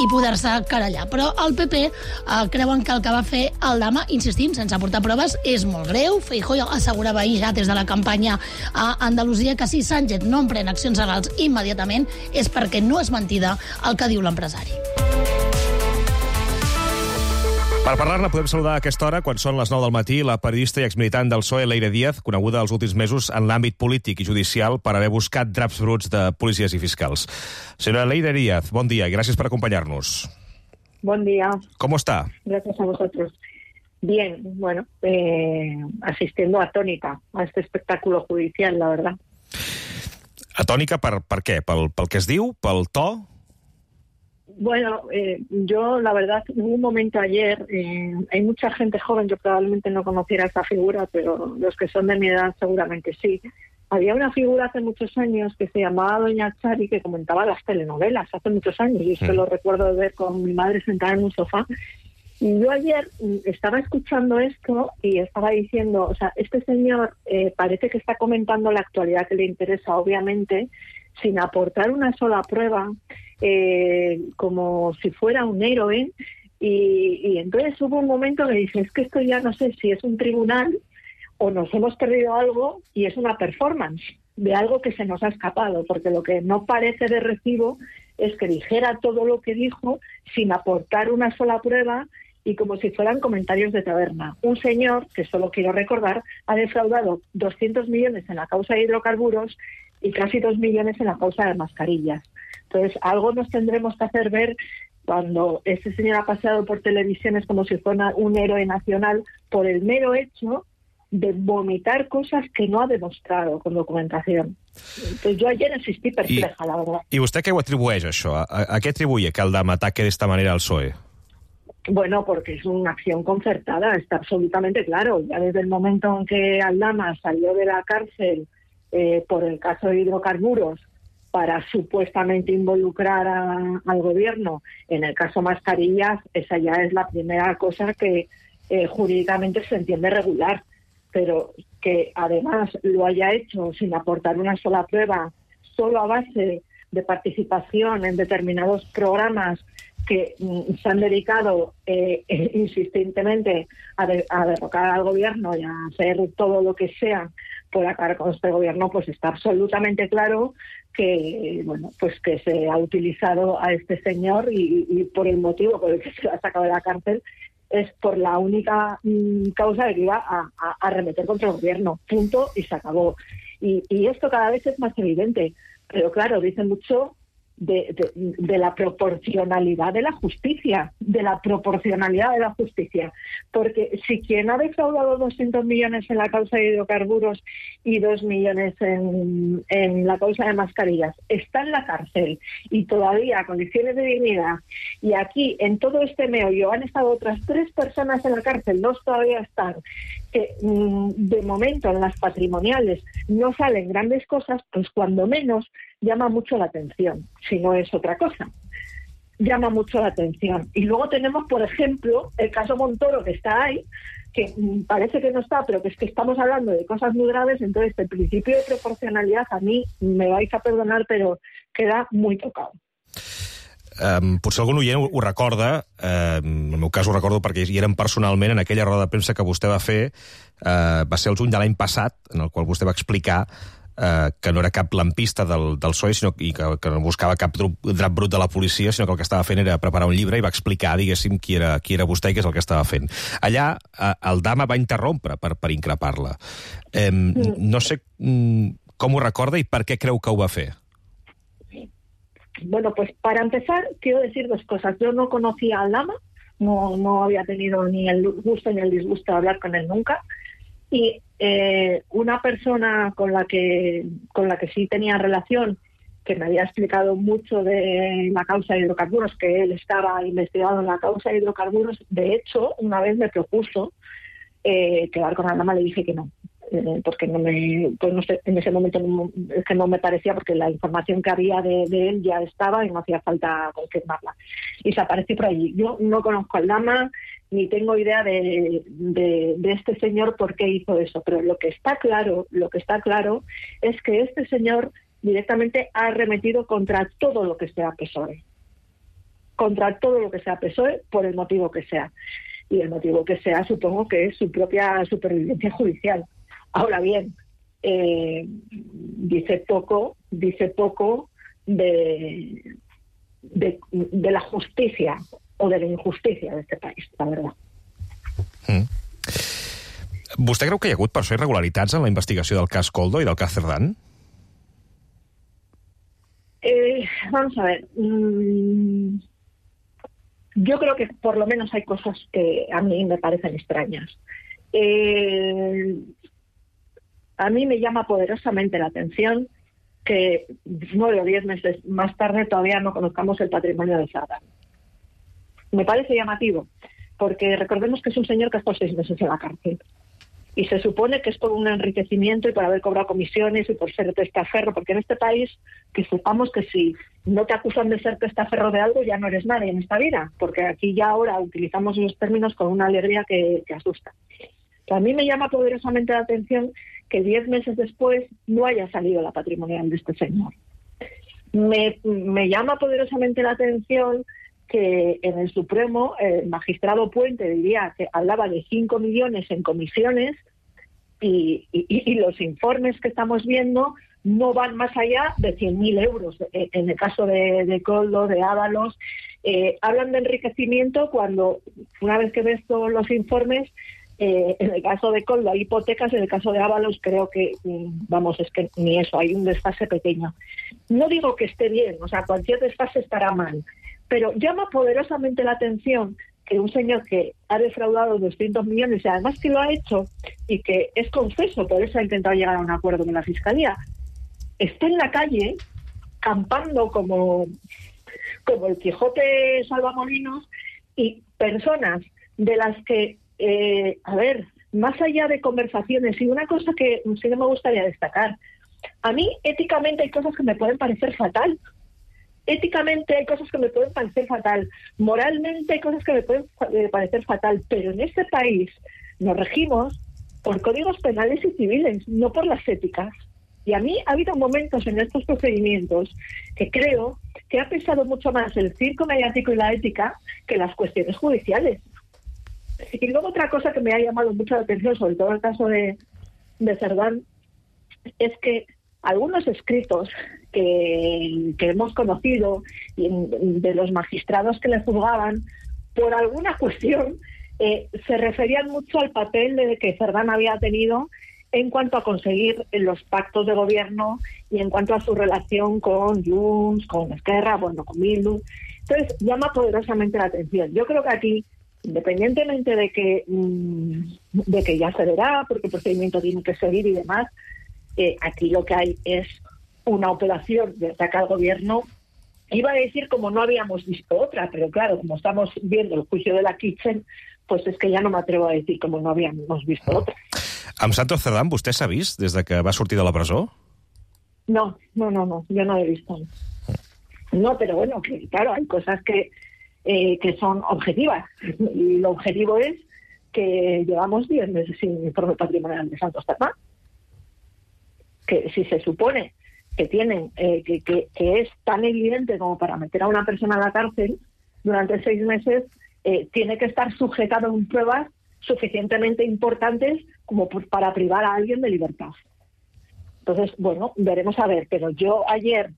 i poder-se querellar. Però el PP creuen que el que va fer Aldama, insistim, sense aportar proves, és molt greu. Feijóo assegurava ahir ja des de la campanya a Andalusia que si Sánchez no emprèn accions legals immediatament és perquè no és mentida el que diu l'empresari. Per parlar-ne podem saludar a aquesta hora, quan són les 9 del matí, la periodista i exmilitant del PSOE, Leire Díaz, coneguda els últims mesos en l'àmbit polític i judicial per haver buscat draps bruts de policies i fiscals. Senyora Leire Díaz, bon dia i gràcies per acompañarnos. Buen día. ¿Cómo está? Gracias a vosotros. Bien, bueno, asistiendo atónita a este espectáculo judicial, la verdad. Atònica per què? Pel que es diu? Pel to? Bueno, yo la verdad, hubo un momento ayer, hay mucha gente joven, yo probablemente no conociera esa figura, pero los que son de mi edad seguramente sí. Había una figura hace muchos años que se llamaba Doña Chari, que comentaba las telenovelas hace muchos años, y esto lo recuerdo de ver con mi madre sentada en un sofá. Y yo ayer estaba escuchando esto y estaba diciendo, o sea, este señor parece que está comentando la actualidad que le interesa, obviamente, sin aportar una sola prueba, como si fuera un héroe, y entonces hubo un momento que dije, es que esto ya no sé si es un tribunal o nos hemos perdido algo y es una performance de algo que se nos ha escapado, porque lo que no parece de recibo es que dijera todo lo que dijo sin aportar una sola prueba y como si fueran comentarios de taberna. Un señor, que solo quiero recordar, ha defraudado 200 millones en la causa de hidrocarburos y casi 2 millones en la causa de mascarillas. Entonces, algo nos tendremos que hacer ver cuando este señor ha paseado por televisiones como si fuera un héroe nacional por el mero hecho de vomitar cosas que no ha demostrado con documentación. Entonces, yo ayer insistí perpleja, la verdad. I vostè què ho atribueix, això? A què atribuye que Aldama ataque de esta manera al PSOE? Bueno, porque es una acción concertada, está absolutamente claro. Ya desde el momento en que Aldama salió de la cárcel por el caso de hidrocarburos para supuestamente involucrar al gobierno en el caso mascarillas, esa ya es la primera cosa que jurídicamente se entiende regular. Pero que además lo haya hecho sin aportar una sola prueba, solo a base de participación en determinados programas que se han dedicado insistentemente a derrocar al gobierno y a hacer todo lo que sea por acabar con este gobierno, pues está absolutamente claro que, bueno, pues que se ha utilizado a este señor y por el motivo por el que se lo ha sacado de la cárcel es por la única causa de que iba a arremeter contra el gobierno. Punto, y se acabó. Y esto cada vez es más evidente. Pero claro, dice mucho de la proporcionalidad de la justicia, porque si quien ha defraudado 200 millones en la causa de hidrocarburos y 2 millones en la causa de mascarillas está en la cárcel y todavía a condiciones de dignidad, y aquí en todo este meollo han estado otras 3 personas en la cárcel, 2 todavía están, que de momento en las patrimoniales no salen grandes cosas, pues cuando menos llama mucho la atención, si no es otra cosa. Llama mucho la atención. Y luego tenemos, por ejemplo, el caso Montoro, que está ahí, que parece que no está, pero que es que estamos hablando de cosas muy graves, entonces el principio de proporcionalidad a mí, me vais a perdonar, però queda muy tocado. Potser algun oient ho recorda, en el meu cas ho recordo perquè hi érem personalment en aquella roda de premsa que vostè va fer, va ser el juny de l'any passat, en el qual vostè va explicar que no era cap lampista del PSOE sinó, i que no buscava cap drap brut de la policia, sinó que el que estava fent era preparar un llibre i va explicar, diguéssim, qui era vostè i què és el que estava fent. Allà, Aldama va interrompre per increpar-la. No sé com ho recorda i per què creu que ho va fer. Bueno, pues para empezar, quiero decir 2 cosas. Yo no conocía a Aldama, no había tenido ni el gusto ni el disgusto de hablar con él nunca. Y una persona con la que sí tenía relación, que me había explicado mucho de la causa de hidrocarburos, que él estaba investigado en la causa de hidrocarburos, de hecho, una vez me propuso quedar con Aldama, le dije que no. Porque no sé, en ese momento es que no me parecía, porque la información que había de él ya estaba y no hacía falta confirmarla. Y se apareció por allí. Yo no conozco a Aldama, ni tengo idea de este señor por qué hizo eso, pero lo que está claro es que este señor directamente ha arremetido contra todo lo que sea PSOE. contra todo lo que sea PSOE, por el motivo que sea. Y el motivo que sea, supongo que es su propia supervivencia judicial. Ahora bien, dice poco de la justicia o de la injusticia de este país, la verdad. Vostè creu que hi ha hagut, per això, irregularitats en la investigació del cas Koldo i del cas Cerdán? Vamos a ver. Yo creo que por lo menos hay cosas que a mí me parecen extrañas. A mí me llama poderosamente la atención que 9 o 10 meses más tarde todavía no conozcamos el patrimonio de Cerdán. Me parece llamativo, porque recordemos que es un señor que ha estado 6 meses en la cárcel. Y se supone que es por un enriquecimiento y por haber cobrado comisiones y por ser testaferro, porque en este país, que sepamos que si no te acusan de ser testaferro de algo, ya no eres nadie en esta vida, porque aquí ya ahora utilizamos esos términos con una alegría que asusta. A mí me llama poderosamente la atención que 10 meses después no haya salido la patrimonial de este señor. Me llama poderosamente la atención que en el Supremo el magistrado Puente diría que hablaba de 5 millones en comisiones y los informes que estamos viendo no van más allá de 100.000 euros. En el caso de Koldo, de Ábalos, hablan de enriquecimiento cuando, una vez que ves todos los informes, en el caso de Koldo hay hipotecas, en el caso de Ábalos creo que, es que ni eso, hay un desfase pequeño. No digo que esté bien, o sea, cualquier desfase estará mal, pero llama poderosamente la atención que un señor que ha defraudado 200 millones y además que lo ha hecho y que es confeso, por eso ha intentado llegar a un acuerdo con la Fiscalía, esté en la calle campando como el Quijote salvamolinos y personas de las que, más allá de conversaciones, y una cosa que sí que me gustaría destacar, a mí éticamente hay cosas que me pueden parecer fatal. Éticamente hay cosas que me pueden parecer fatal, moralmente hay cosas que me pueden parecer fatal, pero en este país nos regimos por códigos penales y civiles, no por las éticas. Y a mí ha habido momentos en estos procedimientos que creo que ha pesado mucho más el circo mediático y la ética que las cuestiones judiciales. Y luego otra cosa que me ha llamado mucho la atención, sobre todo el caso de Cerdán, es que algunos escritos que hemos conocido de los magistrados que le juzgaban, por alguna cuestión, se referían mucho al papel de que Cerdán había tenido en cuanto a conseguir los pactos de gobierno y en cuanto a su relación con Junts, con Esquerra, con Bildu. Entonces, llama poderosamente la atención. Yo creo que aquí, independientemente de que ya se verá, porque el procedimiento tiene que seguir y demás, aquí lo que hay es una operación de ataque al gobierno. Iba a decir como no habíamos visto otra, pero claro, como estamos viendo el juicio de la Kitchen, pues es que ya no me atrevo a decir como no habíamos visto otra. Amb Santos Cerdán, vostè s'ha vist des de que va sortir de la presó? No, yo no lo he visto. No, pero bueno, que claro, hay cosas que son objetivas. Y lo objetivo es que llevamos 10 meses sin informe patrimonial de Santos Cerdán. Que si se supone que tienen que es tan evidente como para meter a una persona a la cárcel durante 6 meses, tiene que estar sujetado en pruebas suficientemente importantes como para privar a alguien de libertad. Entonces, bueno, veremos a ver, pero yo ayer,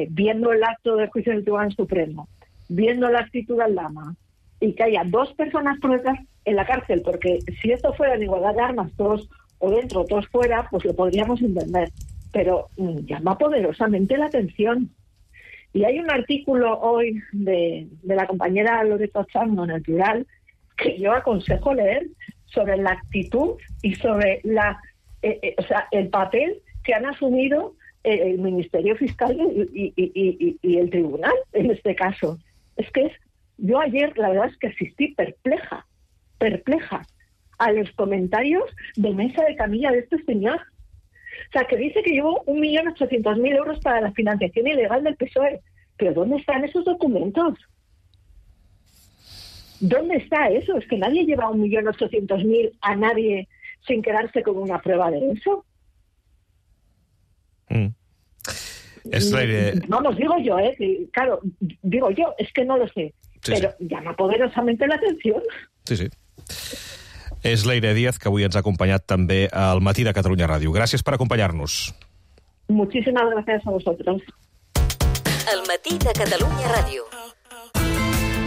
viendo el acto del juicio del Tribunal Supremo, viendo la actitud de Aldama, y que haya 2 personas por detrás en la cárcel, porque si esto fuera en igualdad de armas, todos o dentro, todos fuera, pues lo podríamos entender. Pero llama poderosamente la atención. Y hay un artículo hoy de la compañera Loreto Chando en El Plural que yo aconsejo leer sobre la actitud y sobre el papel que han asumido el Ministerio Fiscal y el Tribunal en este caso. Es que yo ayer la verdad es que asistí perpleja a los comentarios de mesa de camilla de este señor. O sea, que dice que llevó 1.800.000 euros para la financiación ilegal del PSOE. ¿Pero dónde están esos documentos? ¿Dónde está eso? Es que nadie lleva 1.800.000 a nadie sin quedarse con una prueba de eso. Vamos, digo yo, claro, digo yo, es que no lo sé, pero llama poderosamente la atención. Sí. És Leire Díaz, que avui ens ha acompanyat també al Matí de Catalunya Ràdio. Gràcies per acompanyar-nos. Muchísimas gracias a vosotros. El Matí de Catalunya Ràdio.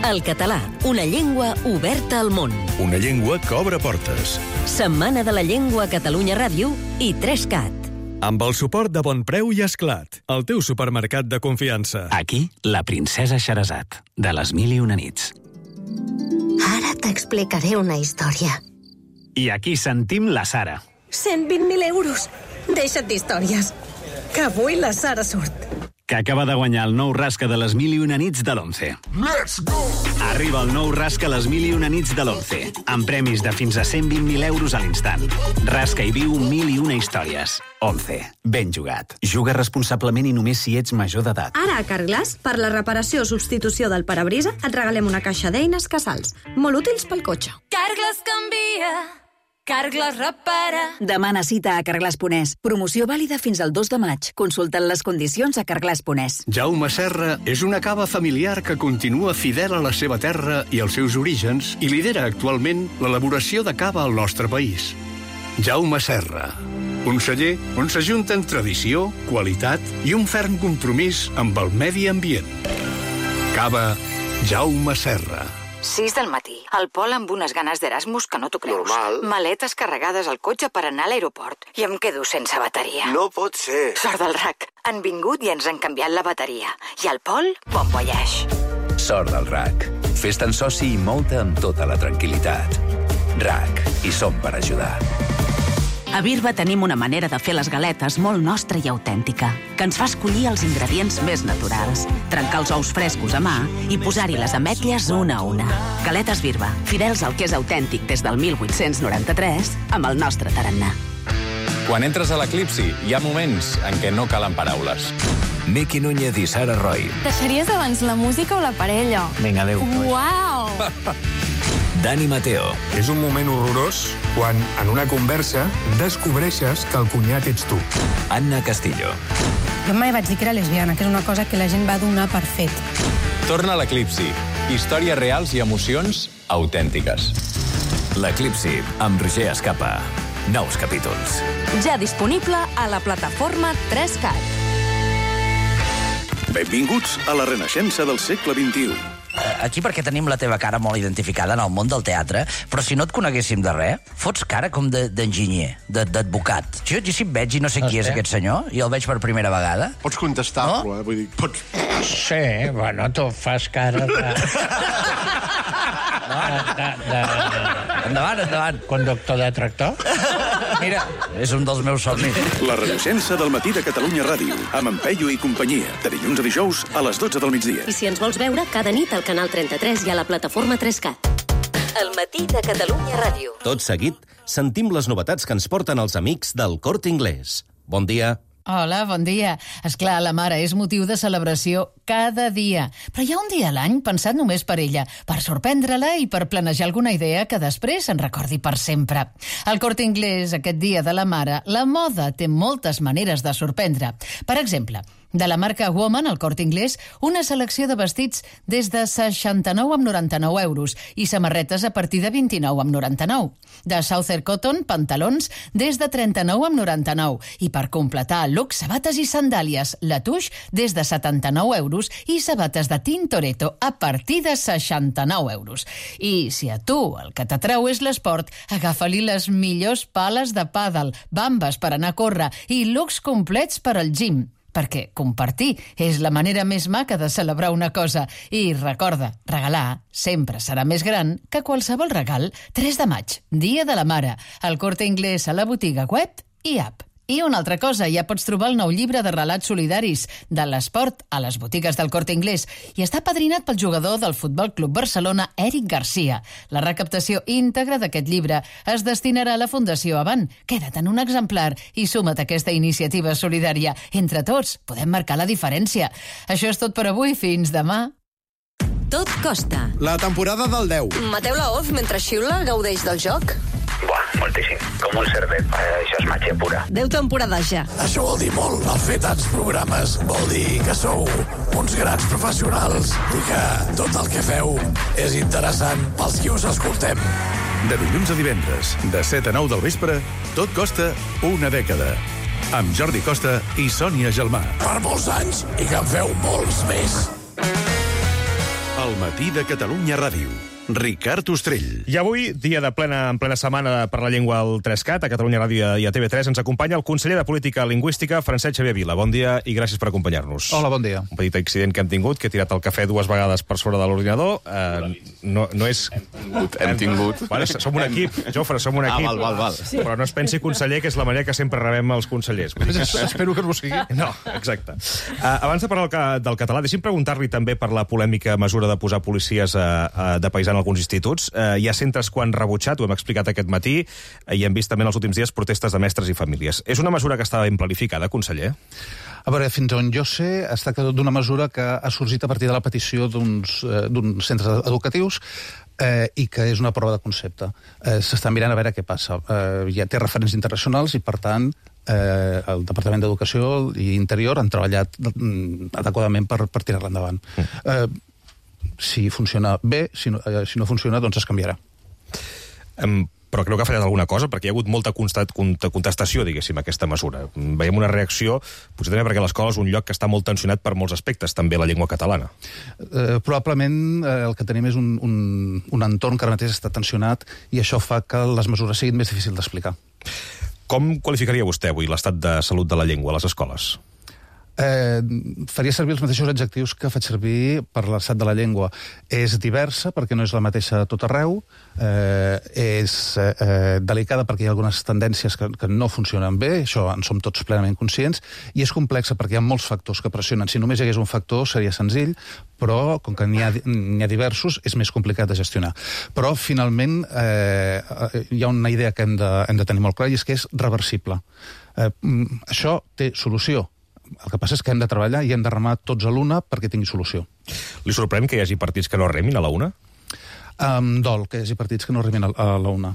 El català, una llengua oberta al món. Una llengua que obre portes. Setmana de la Llengua a Catalunya Ràdio i 3CAT. Amb el suport de Bonpreu i Esclat, el teu supermercat de confiança. Aquí, la princesa Xerazat, de les 1001 nits. Ara t'explicaré una història. I aquí sentim la Sara. 120.000 euros. Deixa't d'històries. Que avui la Sara surt. Que acaba de guanyar el nou rasca de les 1001 nits de l'11. Let's go! Arriba el nou rasca a les 1001 nits de l'11, amb premis de fins a 120.000 euros a l'instant. Rasca i viu 1001 històries. 11. Ben jugat. Juga responsablement i només si ets major d'edat. Ara a Carglass, per la reparació o substitució del parabrisa, et regalem una caixa d'eines Casals, molt útils pel cotxe. Carglass canvia, Carglass repara. Demana cita a Carglass.es. Promoció vàlida fins al 2 de maig. Consulta't les condicions a Carglass.es. Jaume Serra és una cava familiar que continua fidel a la seva terra i als seus orígens i lidera actualment l'elaboració de cava al nostre país. Jaume Serra, un celler on s'ajunten tradició, qualitat i un ferm compromís amb el medi ambient. Cava Jaume Serra. 6 del matí. El Pol amb unes ganes d'Erasmus que no t'ho creus. Normal. Maletes carregades al cotxe per anar a l'aeroport. I em quedo sense bateria. No pot ser. Sort del RAC. Han vingut i ens han canviat la bateria. I el Pol, bon voyage. Sort del RAC. Fes-te'n soci i mou-te amb tota la tranquil·litat. RAC. I som per ajudar. A Birba tenim una manera de fer les galetes molt nostra i autèntica, que ens fa escollir els ingredients més naturals, trencar els ous frescos a mà i posar-hi les ametlles una a una. Galetes Birba, fidels al que és autèntic des del 1893, amb el nostre tarannà. Quan entres a l'Eclipsi, hi ha moments en què no calen paraules. Miqui Núñez i Sara Roy. Deixaries abans la música o la parella? Vinga, adéu. Uau! Dani Mateo. És un moment horrorós quan, en una conversa, descobreixes que el cunyat ets tu. Anna Castillo. Jo mai vaig dir que era lesbiana, que és una cosa que la gent va donar per fet. Torna a l'Eclipsi. Històries reals i emocions autèntiques. L'Eclipsi, amb Roger Escapa. Nous capítols. Ja disponible a la plataforma 3CAT. Benvinguts a la renaixença del segle XXI. Aquí perquè tenim la teva cara molt identificada en el món del teatre, però si no et coneguéssim de res, fots cara com d'enginyer, d'advocat. Jo si et veig i no sé qui és aquest senyor, i el veig per primera vegada... Pots contestar-lo, Vull dir, pots... Sí, bueno, tu fas cara de... Endavant. Conductor de tractor? Mira, és un dels meus somnis. La renaixença del Matí de Catalunya Ràdio, amb en Peyu i companyia, de dilluns a dijous a les 12 del migdia. I si ens vols veure, cada nit al canal 33 i a la plataforma 3CAT. El Matí de Catalunya Ràdio. Tot seguit, sentim les novetats que ens porten els amics del Corte Inglés. Bon dia. Hola, bon dia. Esclar, la mare és motiu de celebració cada dia. Però hi ha un dia a l'any pensat només per ella, per sorprendre-la i per planejar alguna idea que després se'n recordi per sempre. Al Corte Inglés, aquest dia de la mare, la moda té moltes maneres de sorprendre. Per exemple, de la marca Woman, al Corte Inglés, una selecció de vestits des de 69,99 euros i samarretes a partir de 29,99. De Southern Cotton, pantalons des de 39,99. I per completar el look, sabates i sandàlies, la Touche des de 79 euros i sabates de Tintoretto a partir de 69 euros. I si a tu el que t'atreu és l'esport, agafa-li les millors pales de pàdel, bambes per anar a córrer i looks complets per al gym. Perquè compartir és la manera més maca de celebrar una cosa. I recorda, regalar sempre serà més gran que qualsevol regal. 3 de maig, Dia de la Mare, al Corte Inglés, a la botiga web i app. I una altra cosa, ja pots trobar el nou llibre de relats solidaris de l'esport a les botigues del Corte Inglés i està padrinat pel jugador del Futbol Club Barcelona, Eric Garcia. La recaptació íntegra d'aquest llibre es destinarà a la Fundació Avant. Queda't en un exemplar i suma't a aquesta iniciativa solidària. Entre tots podem marcar la diferència. Això és tot per avui. Fins demà. Tot costa. La temporada del 10. Mateu Laoz, mentre xiula, gaudeix del joc. Buah, moltíssim, com un cerdet. Això és màgia pura. 10 temporades ja. Això vol dir molt. El fer tants programes vol dir que sou uns grans professionals i que tot el que feu és interessant pels qui us escoltem. De dilluns a divendres, de 7 a 9 del vespre, tot costa una dècada. Amb Jordi Costa i Sònia Gelmà. Per molts anys i que en feu molts més. El matí de Catalunya Ràdio. Ricard Ostrell. I avui, dia en plena setmana per la llengua al 3CAT, a Catalunya Ràdio i a TV3, ens acompanya el conseller de Política Lingüística, Francesc Xavier Vila. Bon dia i gràcies per acompanyar-nos. Hola, bon dia. Un petit accident que hem tingut, que he tirat el cafè 2 vegades per sobre de l'ordinador. No és... Hem tingut. Bueno, som un equip, Jofre, som un equip. Val. Sí. Però no es pensi, conseller, que és la manera que sempre rebem els consellers. Espero que no ho sigui. No, exacte. Abans de parlar del català, deixi'm preguntar-li també per la polèmica mesura de posar policies de paisà en alguns instituts. Hi ha centres que ho han rebutjat, ho hem explicat aquest matí, i hem vist també en els últims dies protestes de mestres i famílies. És una mesura que estava ben planificada, conseller? A veure, fins on jo sé, es tracta d'una mesura que ha sorgit a partir de la petició d'uns centres educatius i que és una prova de concepte. S'està mirant a veure què passa. Ja té referents internacionals i, per tant, el Departament d'Educació i Interior han treballat adequadament per tirar-la endavant. Si funciona bé, si no funciona, doncs es canviarà. Però creu que ha fallat alguna cosa? Perquè hi ha hagut molta contestació, diguéssim, a aquesta mesura. Veiem una reacció, potser també perquè l'escola és un lloc que està molt tensionat per molts aspectes, també la llengua catalana. Probablement el que tenim és un entorn que ara mateix està tensionat i això fa que les mesures siguin més difícils d'explicar. Com qualificaria vostè avui l'estat de salut de la llengua a les escoles? Faria servir els mateixos adjectius que faig servir per l'estat de la llengua. És diversa perquè no és la mateixa a tot arreu, és delicada perquè hi ha algunes tendències que no funcionen bé, això en som tots plenament conscients, i és complexa perquè hi ha molts factors que pressionen. Si només hi hagués un factor seria senzill, però com que n'hi ha diversos és més complicat de gestionar. Però finalment hi ha una idea que hem de tenir molt clar i és que és reversible. Això té solució. El que passa és que hem de treballar i hem de remar tots a l'una perquè tingui solució. Li sorprèn que hi hagi partits que no remin a la una? Dol que hi hagi partits que no remin a la una.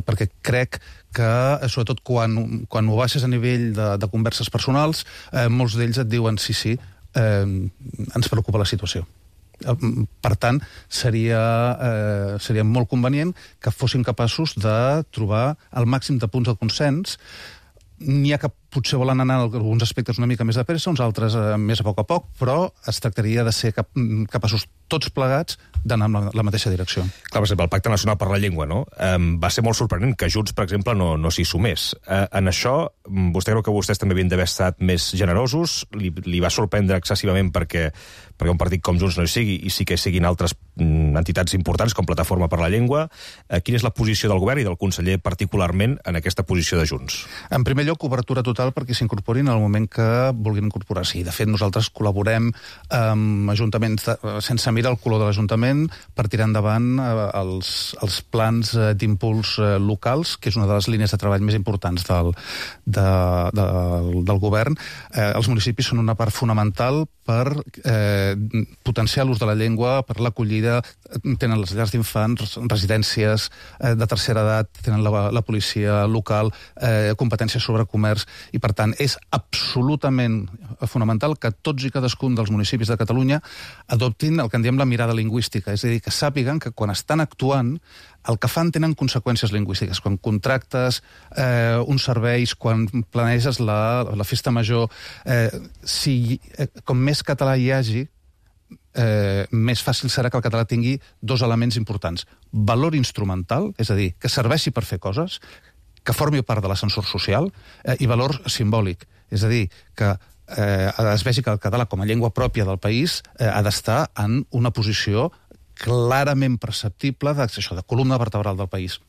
Perquè crec que, sobretot quan ho baixes a nivell de converses personals, molts d'ells et diuen sí, ens preocupa la situació. Per tant, seria molt convenient que fossin capaços de trobar el màxim de punts de consens. N'hi ha que potser volen anar en alguns aspectes una mica més de pressa, uns altres més a poc, però es tractaria de ser capaços tots plegats d'anar en la mateixa direcció. Clar, per exemple, el Pacte Nacional per la Llengua, no? Va ser molt sorprenent que Junts, per exemple, no s'hi sumés. En això, vostè creu que vostès també havien d'haver estat més generosos? Li va sorprendre excessivament perquè un partit com Junts no hi sigui i sí que siguin altres entitats importants com Plataforma per la Llengua? Quina és la posició del govern i del conseller particularment en aquesta posició de Junts? En primer lloc, obertura total perquè s'incorporin en el moment que vulguin incorporar-s'hi. De fet, nosaltres col·laborem amb ajuntaments sense mirar el color de l'Ajuntament per tirar endavant els plans d'impuls locals, que és una de les línies de treball més importants del govern. Els municipis són una part fonamental per potenciar l'ús de la llengua, per l'acollida, tenen les llars d'infants, residències de tercera edat, tenen la policia local, competències sobre comerç, i per tant és absolutament fonamental que tots i cadascun dels municipis de Catalunya adoptin el que en diem la mirada lingüística, és a dir, que sàpiguen que quan estan actuant el que fan tenen conseqüències lingüístiques. Quan contractes uns serveis, quan planeges la festa major, com més català hi hagi, més fàcil serà que el català tingui dos elements importants. Valor instrumental, és a dir, que serveixi per fer coses, que formi part de l'ascensor social, i valor simbòlic, és a dir, que es vegi que el català com a llengua pròpia del país ha d'estar en una posició clarament perceptible de columna vertebral del país.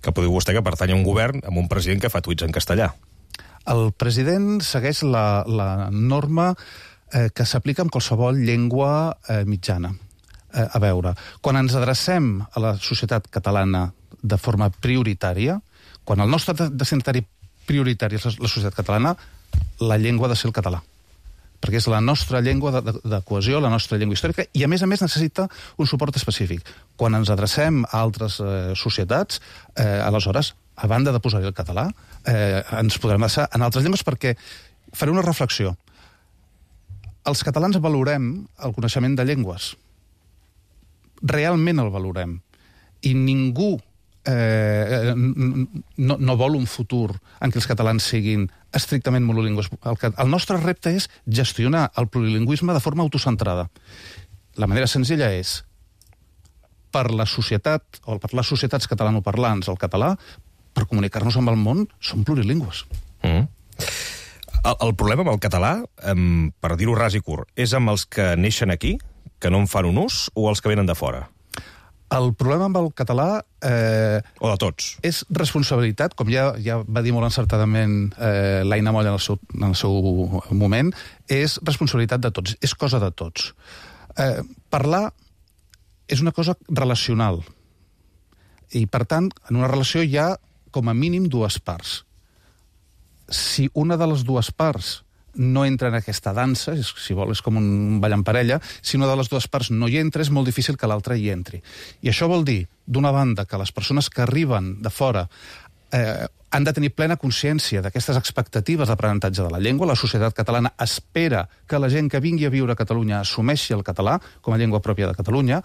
Que podeu vostè que pertany a un govern amb un president que fa tuits en castellà. El president segueix la norma que s'aplica en qualsevol llengua mitjana. A veure, quan ens adrecem a la societat catalana de forma prioritària, quan el nostre destinatari prioritari és la societat catalana, la llengua ha de ser el català. Perquè és la nostra llengua de cohesió, la nostra llengua històrica, i a més necessita un suport específic. Quan ens adrecem a altres societats, aleshores a banda de posar-hi el català, ens podrem basar en altres llengües, perquè faré una reflexió. Els catalans valorem el coneixement de llengües. Realment el valorem. I ningú no vol un futur en què els catalans siguin estrictament monolingües. El nostre repte és gestionar el plurilingüisme de forma autocentrada. La manera senzilla és, per la societat, o per les societats catalanoparlants, el català, per comunicar-nos amb el món, són plurilingües. El problema amb el català, per dir-ho ras i curt, és amb els que neixen aquí, que no en fan un ús, o els que venen de fora? El problema amb el català... o de tots. És responsabilitat, com ja va dir molt encertadament l'Aina Moll en el seu moment, és responsabilitat de tots, és cosa de tots. Parlar és una cosa relacional. I, per tant, en una relació hi ha, com a mínim, dues parts. Si una de les dues parts no entra en aquesta dansa, si vol, és com un ball en parella, si una de les dues parts no hi entra, és molt difícil que l'altra hi entri. I això vol dir, d'una banda, que les persones que arriben de fora han de tenir plena consciència d'aquestes expectatives d'aprenentatge de la llengua. La societat catalana espera que la gent que vingui a viure a Catalunya assumeixi el català com a llengua pròpia de Catalunya,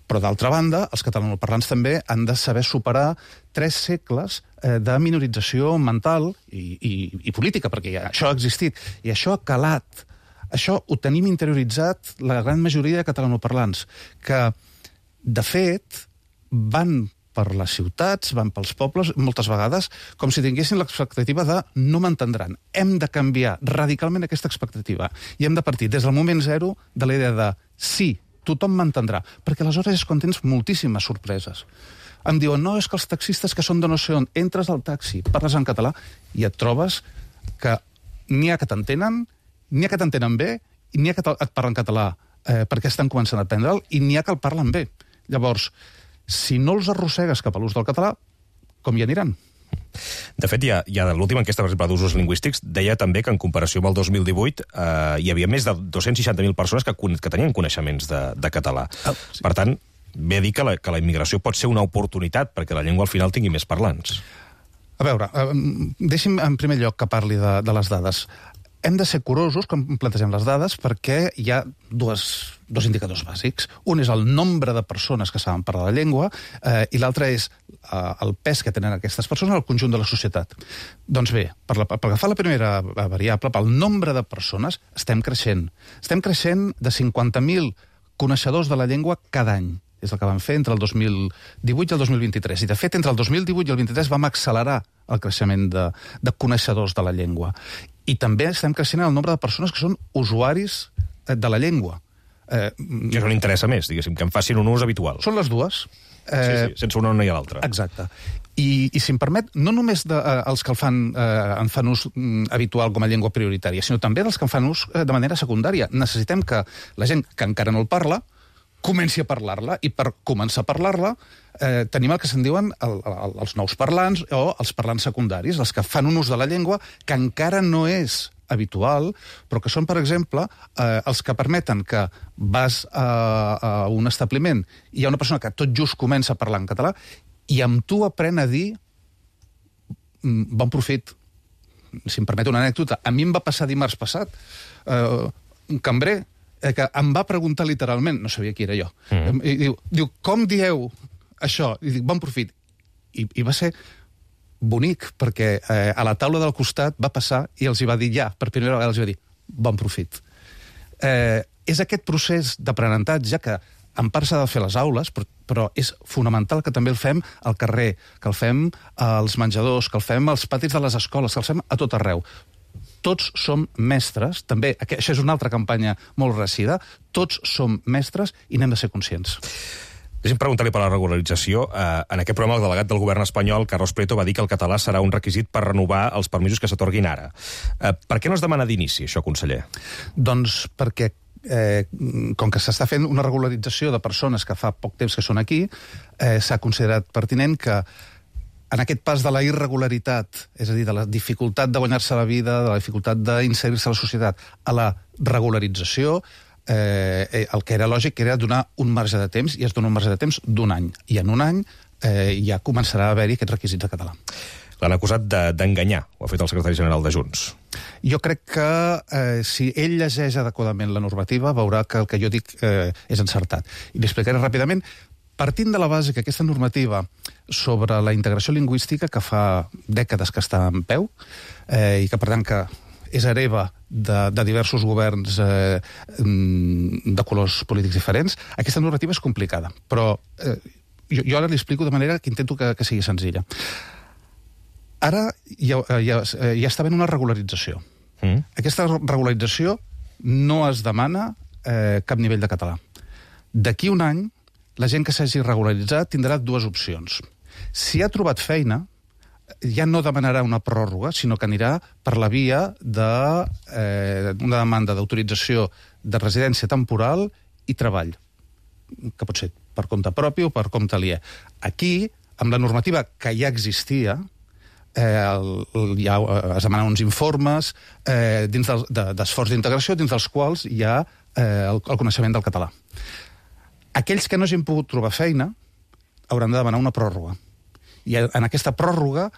però d'altra banda, els catalanoparlants també han de saber superar 3 segles de minorització mental i política, perquè això ha existit, i això ha calat. Això ho tenim interioritzat la gran majoria de catalanoparlants, que, de fet, van per les ciutats, van pels pobles, moltes vegades, com si tinguessin l'expectativa de no m'entendran. Hem de canviar radicalment aquesta expectativa. I hem de partir des del moment zero de la idea de sí, tothom m'entendrà, perquè aleshores és quan tens moltíssimes sorpreses. Em diuen, no, és que els taxistes que són de no sé on, entres al taxi, parles en català, i et trobes que n'hi ha que t'entenen, n'hi ha que t'entenen bé, i n'hi ha que et parlen català perquè estan començant a aprendre'l, i n'hi ha que el parlen bé. Llavors, si no els arrossegues cap a l'ús del català, com hi aniran? De fet, ja de l'última enquesta, per exemple, d'usos lingüístics, deia també que en comparació amb el 2018 hi havia més de 260.000 persones que tenien coneixements de català. Per tant, ve a dir que la immigració pot ser una oportunitat perquè la llengua al final tingui més parlants. A veure, deixi'm en primer lloc que parli de les dades. Hem de ser curosos com plantegem les dades perquè hi ha dos indicadors bàsics. Un és el nombre de persones que saben parlar la llengua i l'altre és el pes que tenen aquestes persones al conjunt de la societat. Doncs bé, per agafar la primera variable, pel nombre de persones, estem creixent. Estem creixent de 50.000 coneixedors de la llengua cada any. És el que vam fer entre el 2018 i el 2023. I, de fet, entre el 2018 i el 2023 vam accelerar el creixement de coneixedors de la llengua. I també estem creixent en el nombre de persones que són usuaris de la llengua. Que això n'interessa més, diguéssim, que en facin un ús habitual. Són les dues. Sí, sense una no hi ha l'altra. Exacte. I si em permet, no només els que en fan ús habitual com a llengua prioritària, sinó també dels que en fan ús de manera secundària. Necessitem que la gent que encara no el parla comenci a parlar-la, i per començar a parlar-la tenim el que se'n diuen els nous parlants o els parlants secundaris, els que fan un ús de la llengua que encara no és habitual, però que són, per exemple, els que permeten que vas a un establiment i hi ha una persona que tot just comença a parlar en català i amb tu aprèn a dir bon profit. Si em permet una anècdota, a mi em va passar dimarts passat un cambrer que em va preguntar literalment, no sabia qui era jo, i diu, com dieu això? I dic, bon profit. I va ser bonic, perquè a la taula del costat va passar i els hi va dir per primera vegada els hi va dir, bon profit. És aquest procés d'aprenentatge que en part s'ha de fer a les aules, però és fonamental que també el fem al carrer, que el fem als menjadors, que el fem als patis de les escoles, que el fem a tot arreu. Tots som mestres, també, això és una altra campanya molt recida, tots som mestres i n'hem de ser conscients. Deixa'm preguntar-li per la regularització. En aquest programa, el delegat del govern espanyol, Carlos Prieto, va dir que el català serà un requisit per renovar els permisos que s'atorguin ara. Per què no es demana d'inici, això, conseller? Doncs perquè, com que s'està fent una regularització de persones que fa poc temps que són aquí, s'ha considerat pertinent que en aquest pas de la irregularitat, és a dir, de la dificultat de guanyar-se la vida, de la dificultat d'inserir-se a la societat, a la regularització, el que era lògic era donar un marge de temps, i es dona un marge de temps d'1 any. I en 1 any ja començarà a haver-hi aquests requisits de català. L'han acusat d'enganyar, ho ha fet el secretari general de Junts. Jo crec que si ell llegeix adequadament la normativa veurà que el que jo dic és encertat. I li explicaré ràpidament, partint de la base que aquesta normativa sobre la integració lingüística, que fa dècades que està en peu, i que per tant que és hereva de diversos governs de colors polítics diferents, aquesta normativa és complicada. Però jo ara li explico de manera que intento que sigui senzilla. Ara ja està havent una regularització. Aquesta regularització no es demana cap nivell de català. D'aquí un any, la gent que s'hagi regularitzat tindrà dues opcions. Si ha trobat feina, ja no demanarà una pròrroga, sinó que anirà per la via d'una demanda d'autorització de residència temporal i treball, que pot ser per compte propi o per compte aliè. Aquí, amb la normativa que ja existia, ja es demanen uns informes d'esforç d'integració dins dels quals hi ha el coneixement del català. Aquells que no hagin pogut trobar feina hauran de demanar una pròrroga. I en aquesta pròrroga,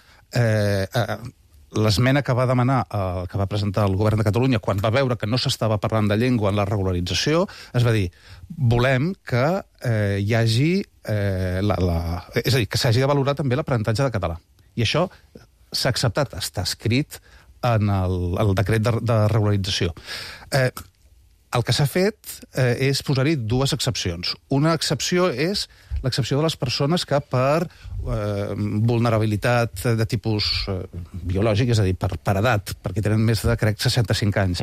l'esmena que va demanar, que va presentar el govern de Catalunya quan va veure que no s'estava parlant de llengua en la regularització, es va dir, volem que hi hagi és a dir, que s'hagi de valorar també l'aprenentatge de català. I això s'ha acceptat, està escrit en el decret de regularització. El que s'ha fet és posar-hi dues excepcions. Una excepció és l'excepció de les persones que per vulnerabilitat de tipus biològic, és a dir, per edat, perquè tenen més de, crec, 65 anys,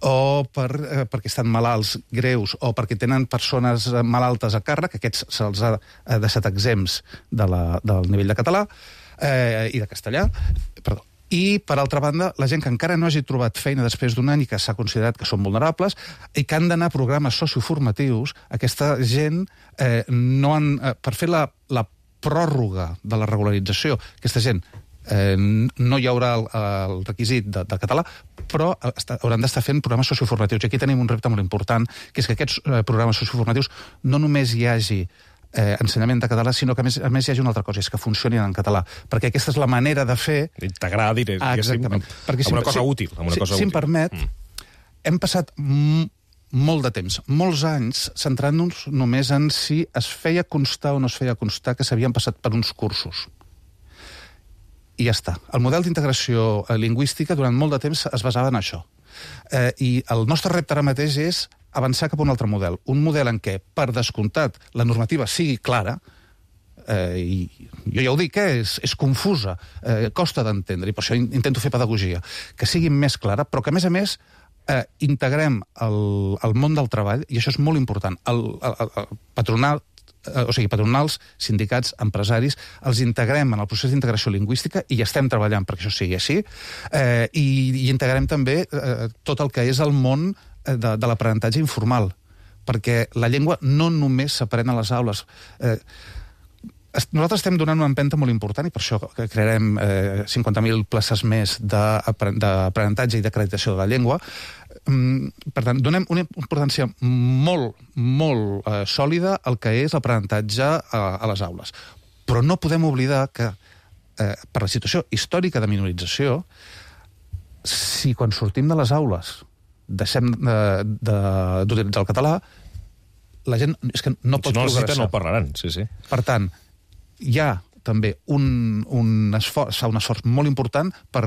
o perquè estan malalts greus, o perquè tenen persones malaltes a càrrec, aquests se'ls ha deixat exempts del nivell de català i de castellà, perdó. I, per altra banda, la gent que encara no hagi trobat feina després d'un any i que s'ha considerat que són vulnerables i que han d'anar a programes socioformatius, aquesta gent per fer la pròrroga de la regularització, aquesta gent no hi haurà el requisit de català, però hauran d'estar fent programes socioformatius. I aquí tenim un repte molt important, que és que aquests programes socioformatius no només hi hagi ensenyament de català, sinó que a més hi hagi una altra cosa, és que funcionin en català, perquè aquesta és la manera de fer... Integrar, diguéssim, amb una cosa útil. Si em permet, hem passat molt de temps, molts anys, centrant-nos només en si es feia constar o no es feia constar que s'havien passat per uns cursos. I ja està. El model d'integració lingüística durant molt de temps es basava en això. I el nostre repte ara mateix és avançar cap a un altre model. Un model en què, per descomptat, la normativa sigui clara, i jo ja ho dic, és confusa, costa d'entendre, i per això intento fer pedagogia, que sigui més clara, però que, a més, integrem el món del treball, i això és molt important, patronals, sindicats, empresaris, els integrem en el procés d'integració lingüística i estem treballant perquè això sigui així, i integrem també tot el que és el món de l'aprenentatge informal, perquè la llengua no només s'aprèn a les aules. Nosaltres estem donant una empenta molt important i per això crearem 50.000 places més d'aprenentatge i d'acreditació de la llengua. Per tant, donem una importància molt, molt sòlida al que és l'aprenentatge a les aules. Però no podem oblidar que, per la situació històrica de minorització, si quan sortim de les aules deixem d'utilitzar el català, la gent és que no pot progressar. No parlaran, sí. Per tant, hi ha també un esforç molt important per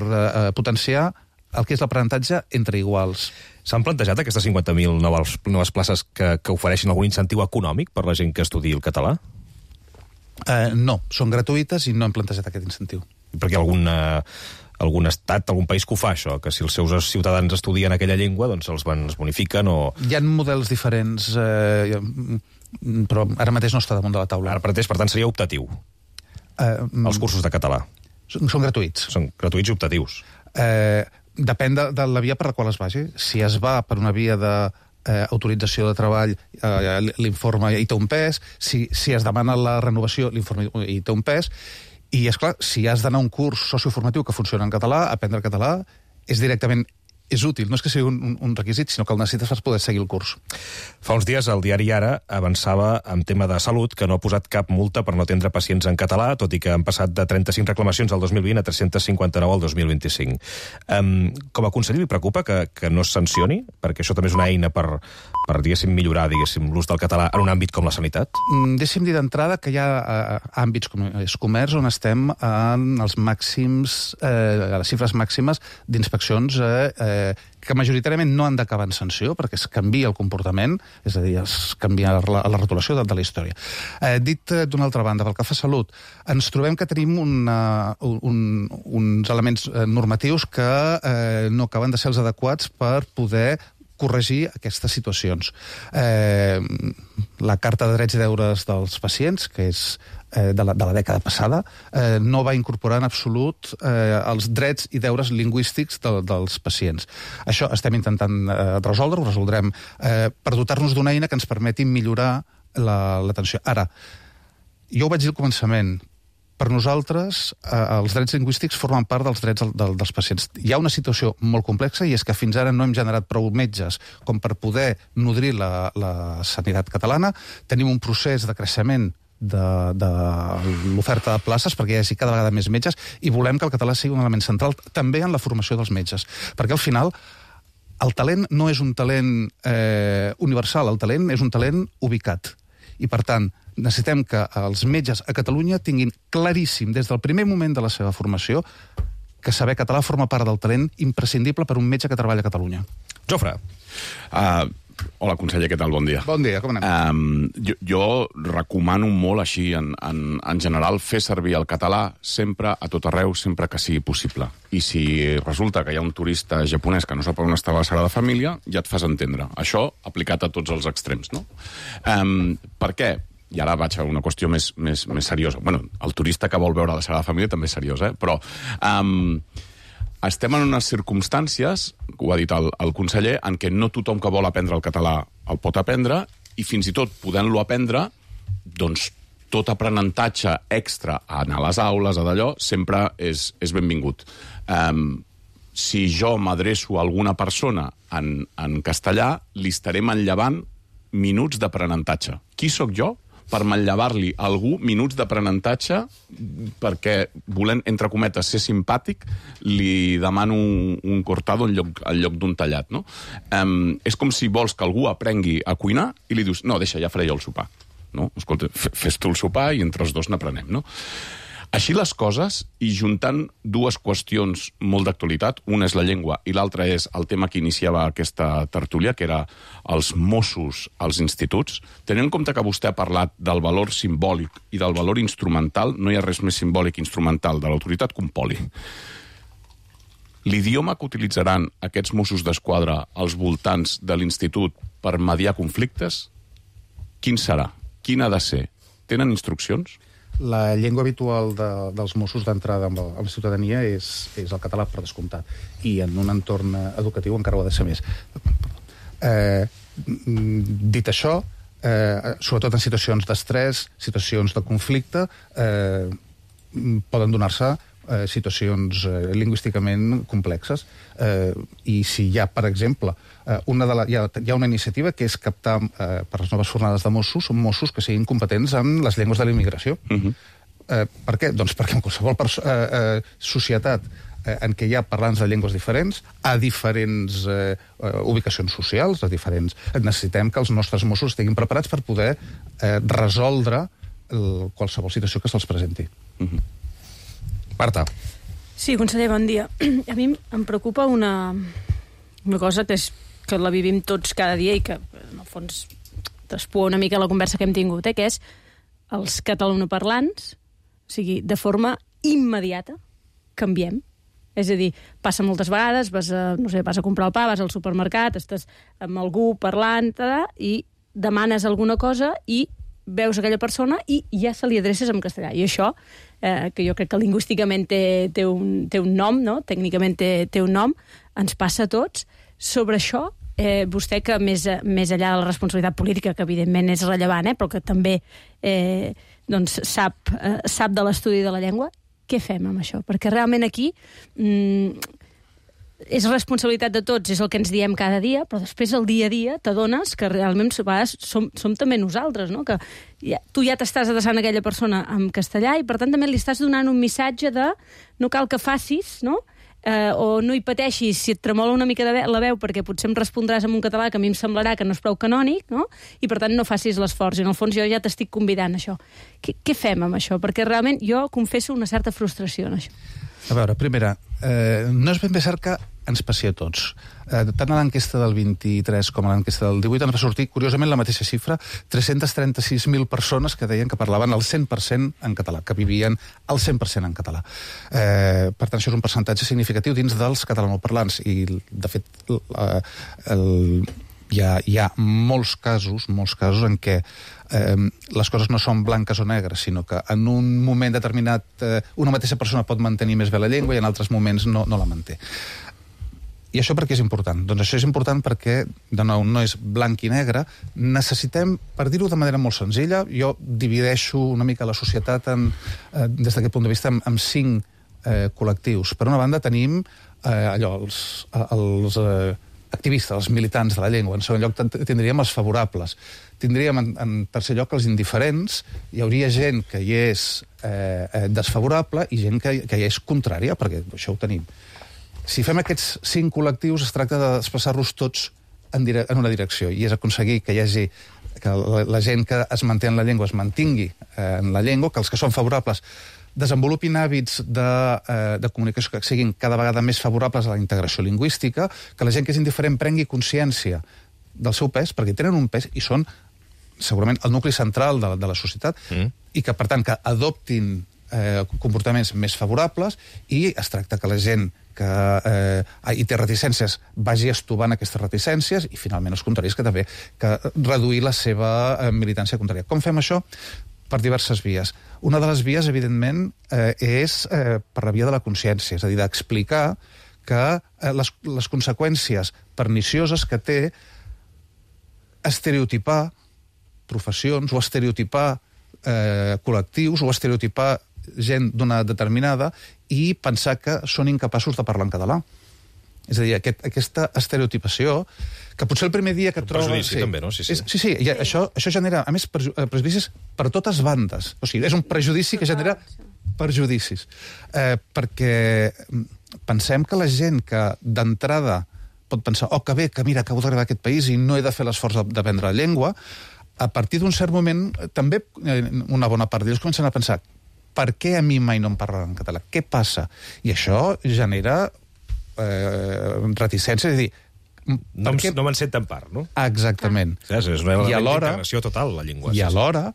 potenciar el que és l'aprenentatge entre iguals. S'han plantejat aquestes 50.000 noves places que ofereixin algun incentiu econòmic per la gent que estudi el català? No, són gratuïtes i no hem plantejat aquest incentiu. Perquè algun estat, algun país que ho fa, això, que si els seus ciutadans estudien aquella llengua, doncs els bonifiquen o... Hi ha models diferents, però ara mateix no està damunt de la taula. Ara mateix, per tant, seria optatiu, els cursos de català. Són gratuïts. Són gratuïts i optatius. Depèn de la via per la qual es vagi. Si es va per una via d'autorització de treball, l'informe hi té un pes. Si es demana la renovació, l'informe hi té un pes. I, esclar, si has d'anar a un curs socioformatiu que funciona en català, aprendre català és directament és útil, no és que sigui un requisit, sinó que el necessites per poder seguir el curs. Fa uns dies el diari Ara avançava en tema de salut que no ha posat cap multa per no atendre pacients en català, tot i que han passat de 35 reclamacions al 2020 a 359 al 2025. Com a conseller li preocupa que no es sancioni? Perquè això també és una eina per diguéssim, millorar l'ús del català en un àmbit com la sanitat? Deixi'm dir d'entrada que hi ha àmbits com és comerç on estem en els màxims, a les xifres màximes d'inspeccions que majoritàriament no han d'acabar en sanció, perquè es canvia el comportament, és a dir, es canvia la rotulació de la història. Dit d'una altra banda, pel que fa a salut, ens trobem que tenim uns elements normatius que no acaben de ser els adequats per poder corregir aquestes situacions. La Carta de Drets i Deures dels Pacients, que és de la dècada passada, no va incorporar en absolut els drets i deures lingüístics dels pacients. Això estem intentant resoldre, ho resoldrem per dotar-nos d'una eina que ens permeti millorar l'atenció. Ara, jo ho vaig dir al començament, per nosaltres, els drets lingüístics formen part dels drets dels pacients. Hi ha una situació molt complexa i és que fins ara no hem generat prou metges com per poder nodrir la sanitat catalana. Tenim un procés de creixement de l'oferta de places perquè hi hagi cada vegada més metges i volem que el català sigui un element central també en la formació dels metges. Perquè al final el talent no és un talent universal, el talent és un talent ubicat. I per tant, necessitem que els metges a Catalunya tinguin claríssim des del primer moment de la seva formació que saber català forma part del talent imprescindible per un metge que treballa a Catalunya. Jofre. Hola, conseller, què tal? Bon dia. Bon dia, com anem? Jo recomano molt així, en general, fer servir el català sempre, a tot arreu, sempre que sigui possible. I si resulta que hi ha un turista japonès que no sap on està la Sagrada Família, ja et fas entendre. Això aplicat a tots els extrems, no? Per què? I ara vaig a una qüestió més seriosa. Bueno, el turista que vol veure la Sagrada Família també és seriós, però estem en unes circumstàncies, ho ha dit el conseller, en què no tothom que vol aprendre el català el pot aprendre, i fins i tot podent-lo aprendre, doncs tot aprenentatge extra a anar a les aules, a d'allò, sempre és benvingut. Si jo m'adreço a alguna persona en castellà, li estaré manllevant minuts d'aprenentatge. Qui sóc jo per manllevar-li a algú minuts d'aprenentatge perquè, volent, entre cometes, ser simpàtic, li demano un cortado en lloc d'un tallat, no? És com si vols que algú aprengui a cuinar i li dius, no, deixa, ja faré jo el sopar. No? Escolta, fes tu el sopar i entre els dos n'aprenem, no? Així les coses, i juntant dues qüestions molt d'actualitat, una és la llengua i l'altra és el tema que iniciava aquesta tertúlia, que era els Mossos als instituts, tenint en compte que vostè ha parlat del valor simbòlic i del valor instrumental, no hi ha res més simbòlic i instrumental de l'autoritat que un poli. L'idioma que utilitzaran aquests Mossos d'Esquadra als voltants de l'institut per mediar conflictes, quin serà? Quin ha de ser? Tenen instruccions? La llengua habitual dels Mossos d'entrada amb la ciutadania és el català, per descomptat. I en un entorn educatiu encara ho ha de ser més. Dit això, sobretot en situacions d'estrès, situacions de conflicte, poden donar-se situacions lingüísticament complexes. I si hi ha, per exemple, hi ha una iniciativa que és captar per les noves fornades de Mossos que siguin competents en les llengües de la immigració. Per què? Doncs perquè en qualsevol societat en què hi ha parlants de llengües diferents, a diferents ubicacions socials, necessitem que els nostres Mossos estiguin preparats per poder resoldre qualsevol situació que se'ls presenti. Marta. Sí, conseller, bon dia. A mi em preocupa una cosa que és que la vivim tots cada dia i que, en el fons, despua una mica la conversa que hem tingut, que és els catalanoparlants, o sigui, de forma immediata, canviem. És a dir, passa moltes vegades, vas a comprar el pa, vas al supermercat, estàs amb algú parlant, i demanes alguna cosa i veus aquella persona i ja se li adreces en castellà. I això, que jo crec que lingüísticament té un nom, no? Tècnicament té un nom, ens passa a tots. Sobre això, vostè, que més enllà de la responsabilitat política, que evidentment és rellevant, però que també sap de l'estudi de la llengua, què fem amb això? Perquè realment aquí és responsabilitat de tots, és el que ens diem cada dia, però després el dia a dia t'adones que realment a vegades som també nosaltres, no? Que tu ja t'estàs adreçant a aquella persona en castellà i per tant també li estàs donant un missatge de no cal que facis, no? O no hi pateixis si et tremola una mica la veu perquè potser em respondràs en un català que a mi em semblarà que no és prou canònic, no? I per tant no facis l'esforç. I en el fons jo ja t'estic convidant a això. Què fem amb això? Perquè realment jo confesso una certa frustració en això. A veure, primera, no és ben bé cert que ens passi a tots. Tant a l'enquesta del 23 com a l'enquesta del 18 ens va sortir, curiosament, la mateixa xifra, 336.000 persones que deien que parlaven el 100% en català, que vivien el 100% en català. Per tant, això és un percentatge significatiu dins dels catalanoparlants i, de fet, hi ha molts casos en què les coses no són blanques o negres, sinó que en un moment determinat una mateixa persona pot mantenir més bé la llengua i en altres moments no la manté. I això per què és important? Doncs això és important perquè, de nou, no és blanc i negre. Necessitem, per dir-ho de manera molt senzilla, jo divideixo una mica la societat des d'aquest punt de vista en 5 col·lectius. Per una banda tenim els activistes, els militants de la llengua. En segon lloc tindríem els favorables. Tindríem, en tercer lloc, els indiferents. Hi hauria gent que hi és desfavorable i gent que hi és contrària, perquè això ho tenim. Si fem aquests 5 col·lectius, es tracta de desplaçar-los tots en una direcció, i és aconseguir que hi hagi que la gent que es manté en la llengua es mantingui en la llengua, que els que són favorables desenvolupin hàbits de comunicació que siguin cada vegada més favorables a la integració lingüística, que la gent que és indiferent prengui consciència del seu pes, perquè tenen un pes i són segurament el nucli central de la societat, i que, per tant, que adoptin comportaments més favorables, i es tracta que la gent que hi té reticències vagi estovant aquestes reticències, i finalment els contraris que també que reduir la seva militància contrària. Com fem això? Per diverses vies. Una de les vies, evidentment, és per la via de la consciència, és a dir, d'explicar que les conseqüències pernicioses que té estereotipar professions o estereotipar col·lectius o estereotipar gent d'una determinada i pensar que són incapaços de parlar en català. És a dir, aquesta estereotipació, que potser el primer dia que et trobes... Prejudici, també, no? Sí, i això genera, a més, prejudicis per totes bandes. O sigui, és un prejudici que genera perjudicis. Perquè pensem que la gent que d'entrada pot pensar que bé, que mira, acabo d'arribar a aquest país i no he de fer l'esforç d'aprendre la llengua, a partir d'un cert moment, també una bona part d'ells comencen a pensar per què a mi mai no em parlen en català? Què passa? I això genera reticència, és a dir... No me'n sent tan part, no? Exactament. És una integració total, la llengua. I alhora,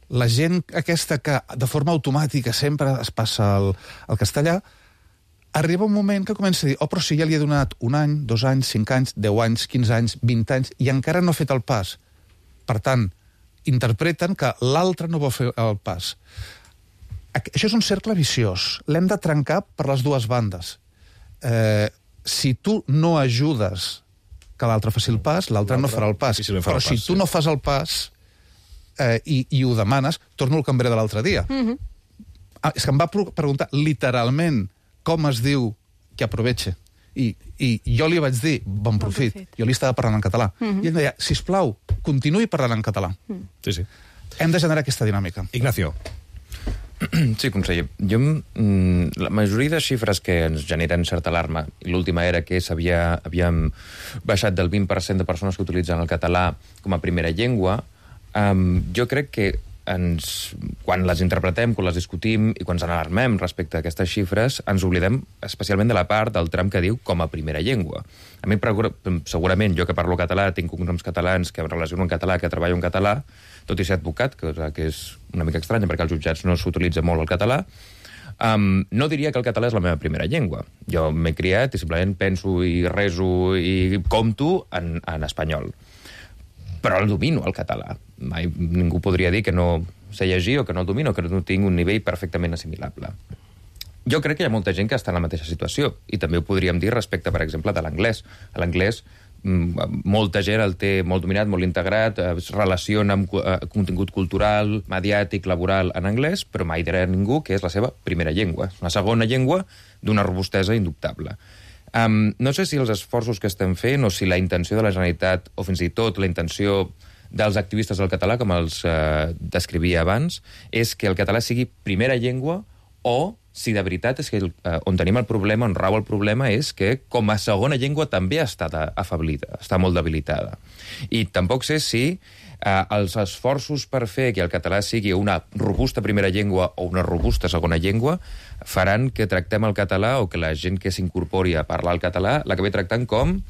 la gent aquesta que de forma automàtica sempre es passa al castellà, arriba un moment que comença a dir però si ja li he donat 1 any, 2 anys, 5 anys, 10 anys, 15 anys, 20 anys, i encara no ha fet el pas. Per tant, interpreten que l'altre no vol fer el pas. Això és un cercle viciós. L'hem de trencar per les dues bandes. Si tu no ajudes que l'altre faci el pas, l'altre no farà el pas. Però si tu no fas el pas i ho demanes, torno al cambrer de l'altre dia. És que em va preguntar literalment com es diu que aproveche. I jo li vaig dir, bon profit. Jo li estava parlant en català. I ell deia, sisplau, continuï parlant en català. Sí. Hem de generar aquesta dinàmica. Ignacio. Sí, conseller. La majoria de xifres que ens generen certa alarma, i l'última era que havíem baixat del 20% de persones que utilitzen el català com a primera llengua, jo crec que quan les interpretem, quan les discutim i quan ens alarmem respecte a aquestes xifres, ens oblidem especialment de la part del tram que diu com a primera llengua. A mi, segurament, jo que parlo català, tinc cognoms catalans, que em relaciono en català, que treballo en català, tot i ser advocat, que és una mica estranya perquè als jutjats no s'utilitza molt el català, no diria que el català és la meva primera llengua. Jo m'he criat i simplement penso i reso i compto en espanyol. Però el domino, el català. Mai ningú podria dir que no sé llegir o que no el domino, que no tinc un nivell perfectament assimilable. Jo crec que hi ha molta gent que està en la mateixa situació, i també ho podríem dir respecte, per exemple, de l'anglès. L'anglès, molta gent el té molt dominat, molt integrat, es relaciona amb contingut cultural, mediàtic, laboral en anglès, però mai dirà ningú que és la seva primera llengua. És una segona llengua d'una robustesa indubtable. No sé si els esforços que estem fent o si la intenció de la Generalitat, o fins i tot la intenció dels activistes del català, com els descrivia abans, és que el català sigui primera llengua o si de veritat és que on tenim el problema, on rau el problema, és que com a segona llengua també està afablida, està molt debilitada. I tampoc sé si els esforços per fer que el català sigui una robusta primera llengua o una robusta segona llengua faran que tractem el català o que la gent que s'incorpori a parlar el català l'acabi tractant com,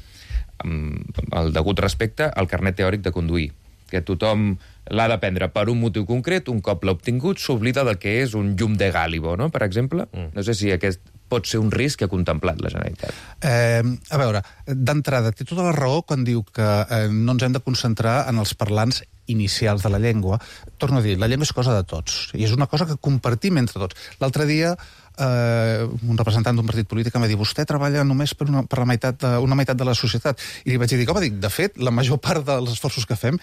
amb el degut respecte, el carnet teòric de conduir, que tothom l'ha d'aprendre per un motiu concret, un cop l'ha obtingut, s'oblida del que és un llum de Gálibo, no?, per exemple. No sé si aquest pot ser un risc que ha contemplat la Generalitat. A veure, d'entrada, té tota la raó quan diu que no ens hem de concentrar en els parlants inicials de la llengua. Torno a dir, la llengua és cosa de tots, i és una cosa que compartim entre tots. L'altre dia, un representant d'un partit polític em va dir vostè treballa només per una meitat de la societat. I li vaig dir, home, de fet, la major part dels esforços que fem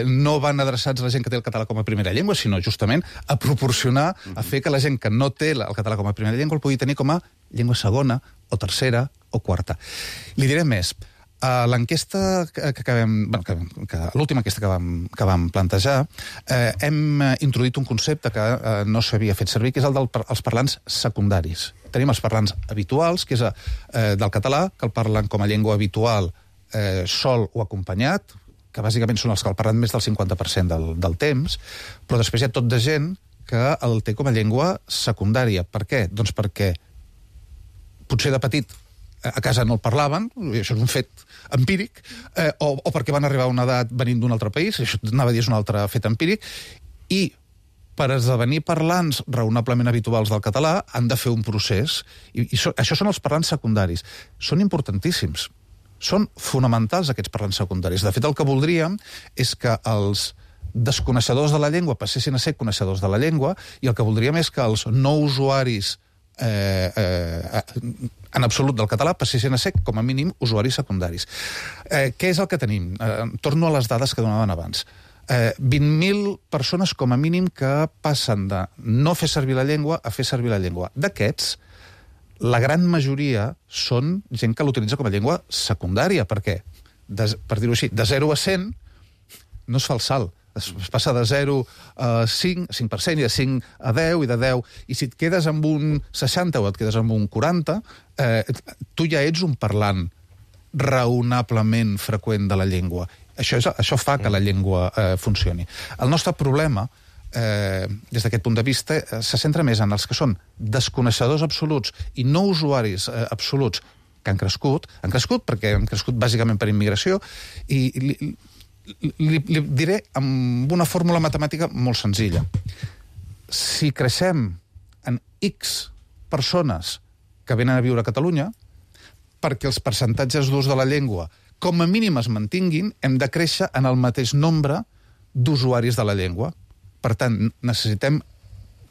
no van adreçats a la gent que té el català com a primera llengua, sinó justament a proporcionar, a fer que la gent que no té el català com a primera llengua el pugui tenir com a llengua segona, o tercera, o quarta. Li diré més. A l'enquesta l'última enquesta que vam plantejar, hem introduït un concepte que no s'havia fet servir, que és el dels parlants secundaris. Tenim els parlants habituals, que és del català, que el parlen com a llengua habitual sol o acompanyat, que bàsicament són els que el parlen més del 50% del temps, però després hi ha tot de gent que el té com a llengua secundària. Per què? Doncs perquè potser de petit a casa no el parlaven, i això és un fet empíric, o perquè van arribar a una edat venint d'un altre país, això anava a dir és un altre fet empíric, i per esdevenir parlants raonablement habituals del català han de fer un procés, i això són els parlants secundaris. Són importantíssims, són fonamentals aquests parlants secundaris. De fet, el que voldríem és que els desconeixedors de la llengua passessin a ser coneixedors de la llengua, i el que voldríem és que els no usuaris en absolut del català passessin a ser, com a mínim, usuaris secundaris. Què és el que tenim? Torno a les dades que donaven abans. 20.000 persones, com a mínim, que passen de no fer servir la llengua a fer servir la llengua. D'aquests, la gran majoria són gent que l'utilitza com a llengua secundària, perquè, per dir-ho així, de 0 a 100 no es fa el salt. Es passa de 0 a 5%, i de 5 a 10, i de 10... I si et quedes amb un 60 o et quedes amb un 40, tu ja ets un parlant raonablement freqüent de la llengua. Això fa que la llengua funcioni. El nostre problema, des d'aquest punt de vista, se centra més en els que són desconeixedors absoluts i no usuaris absoluts que han crescut perquè han crescut bàsicament per immigració, i li diré amb una fórmula matemàtica molt senzilla. Si creixem en X persones que venen a viure a Catalunya, perquè els percentatges d'ús de la llengua com a mínim es mantinguin, hem de créixer en el mateix nombre d'usuaris de la llengua. Per tant, necessitem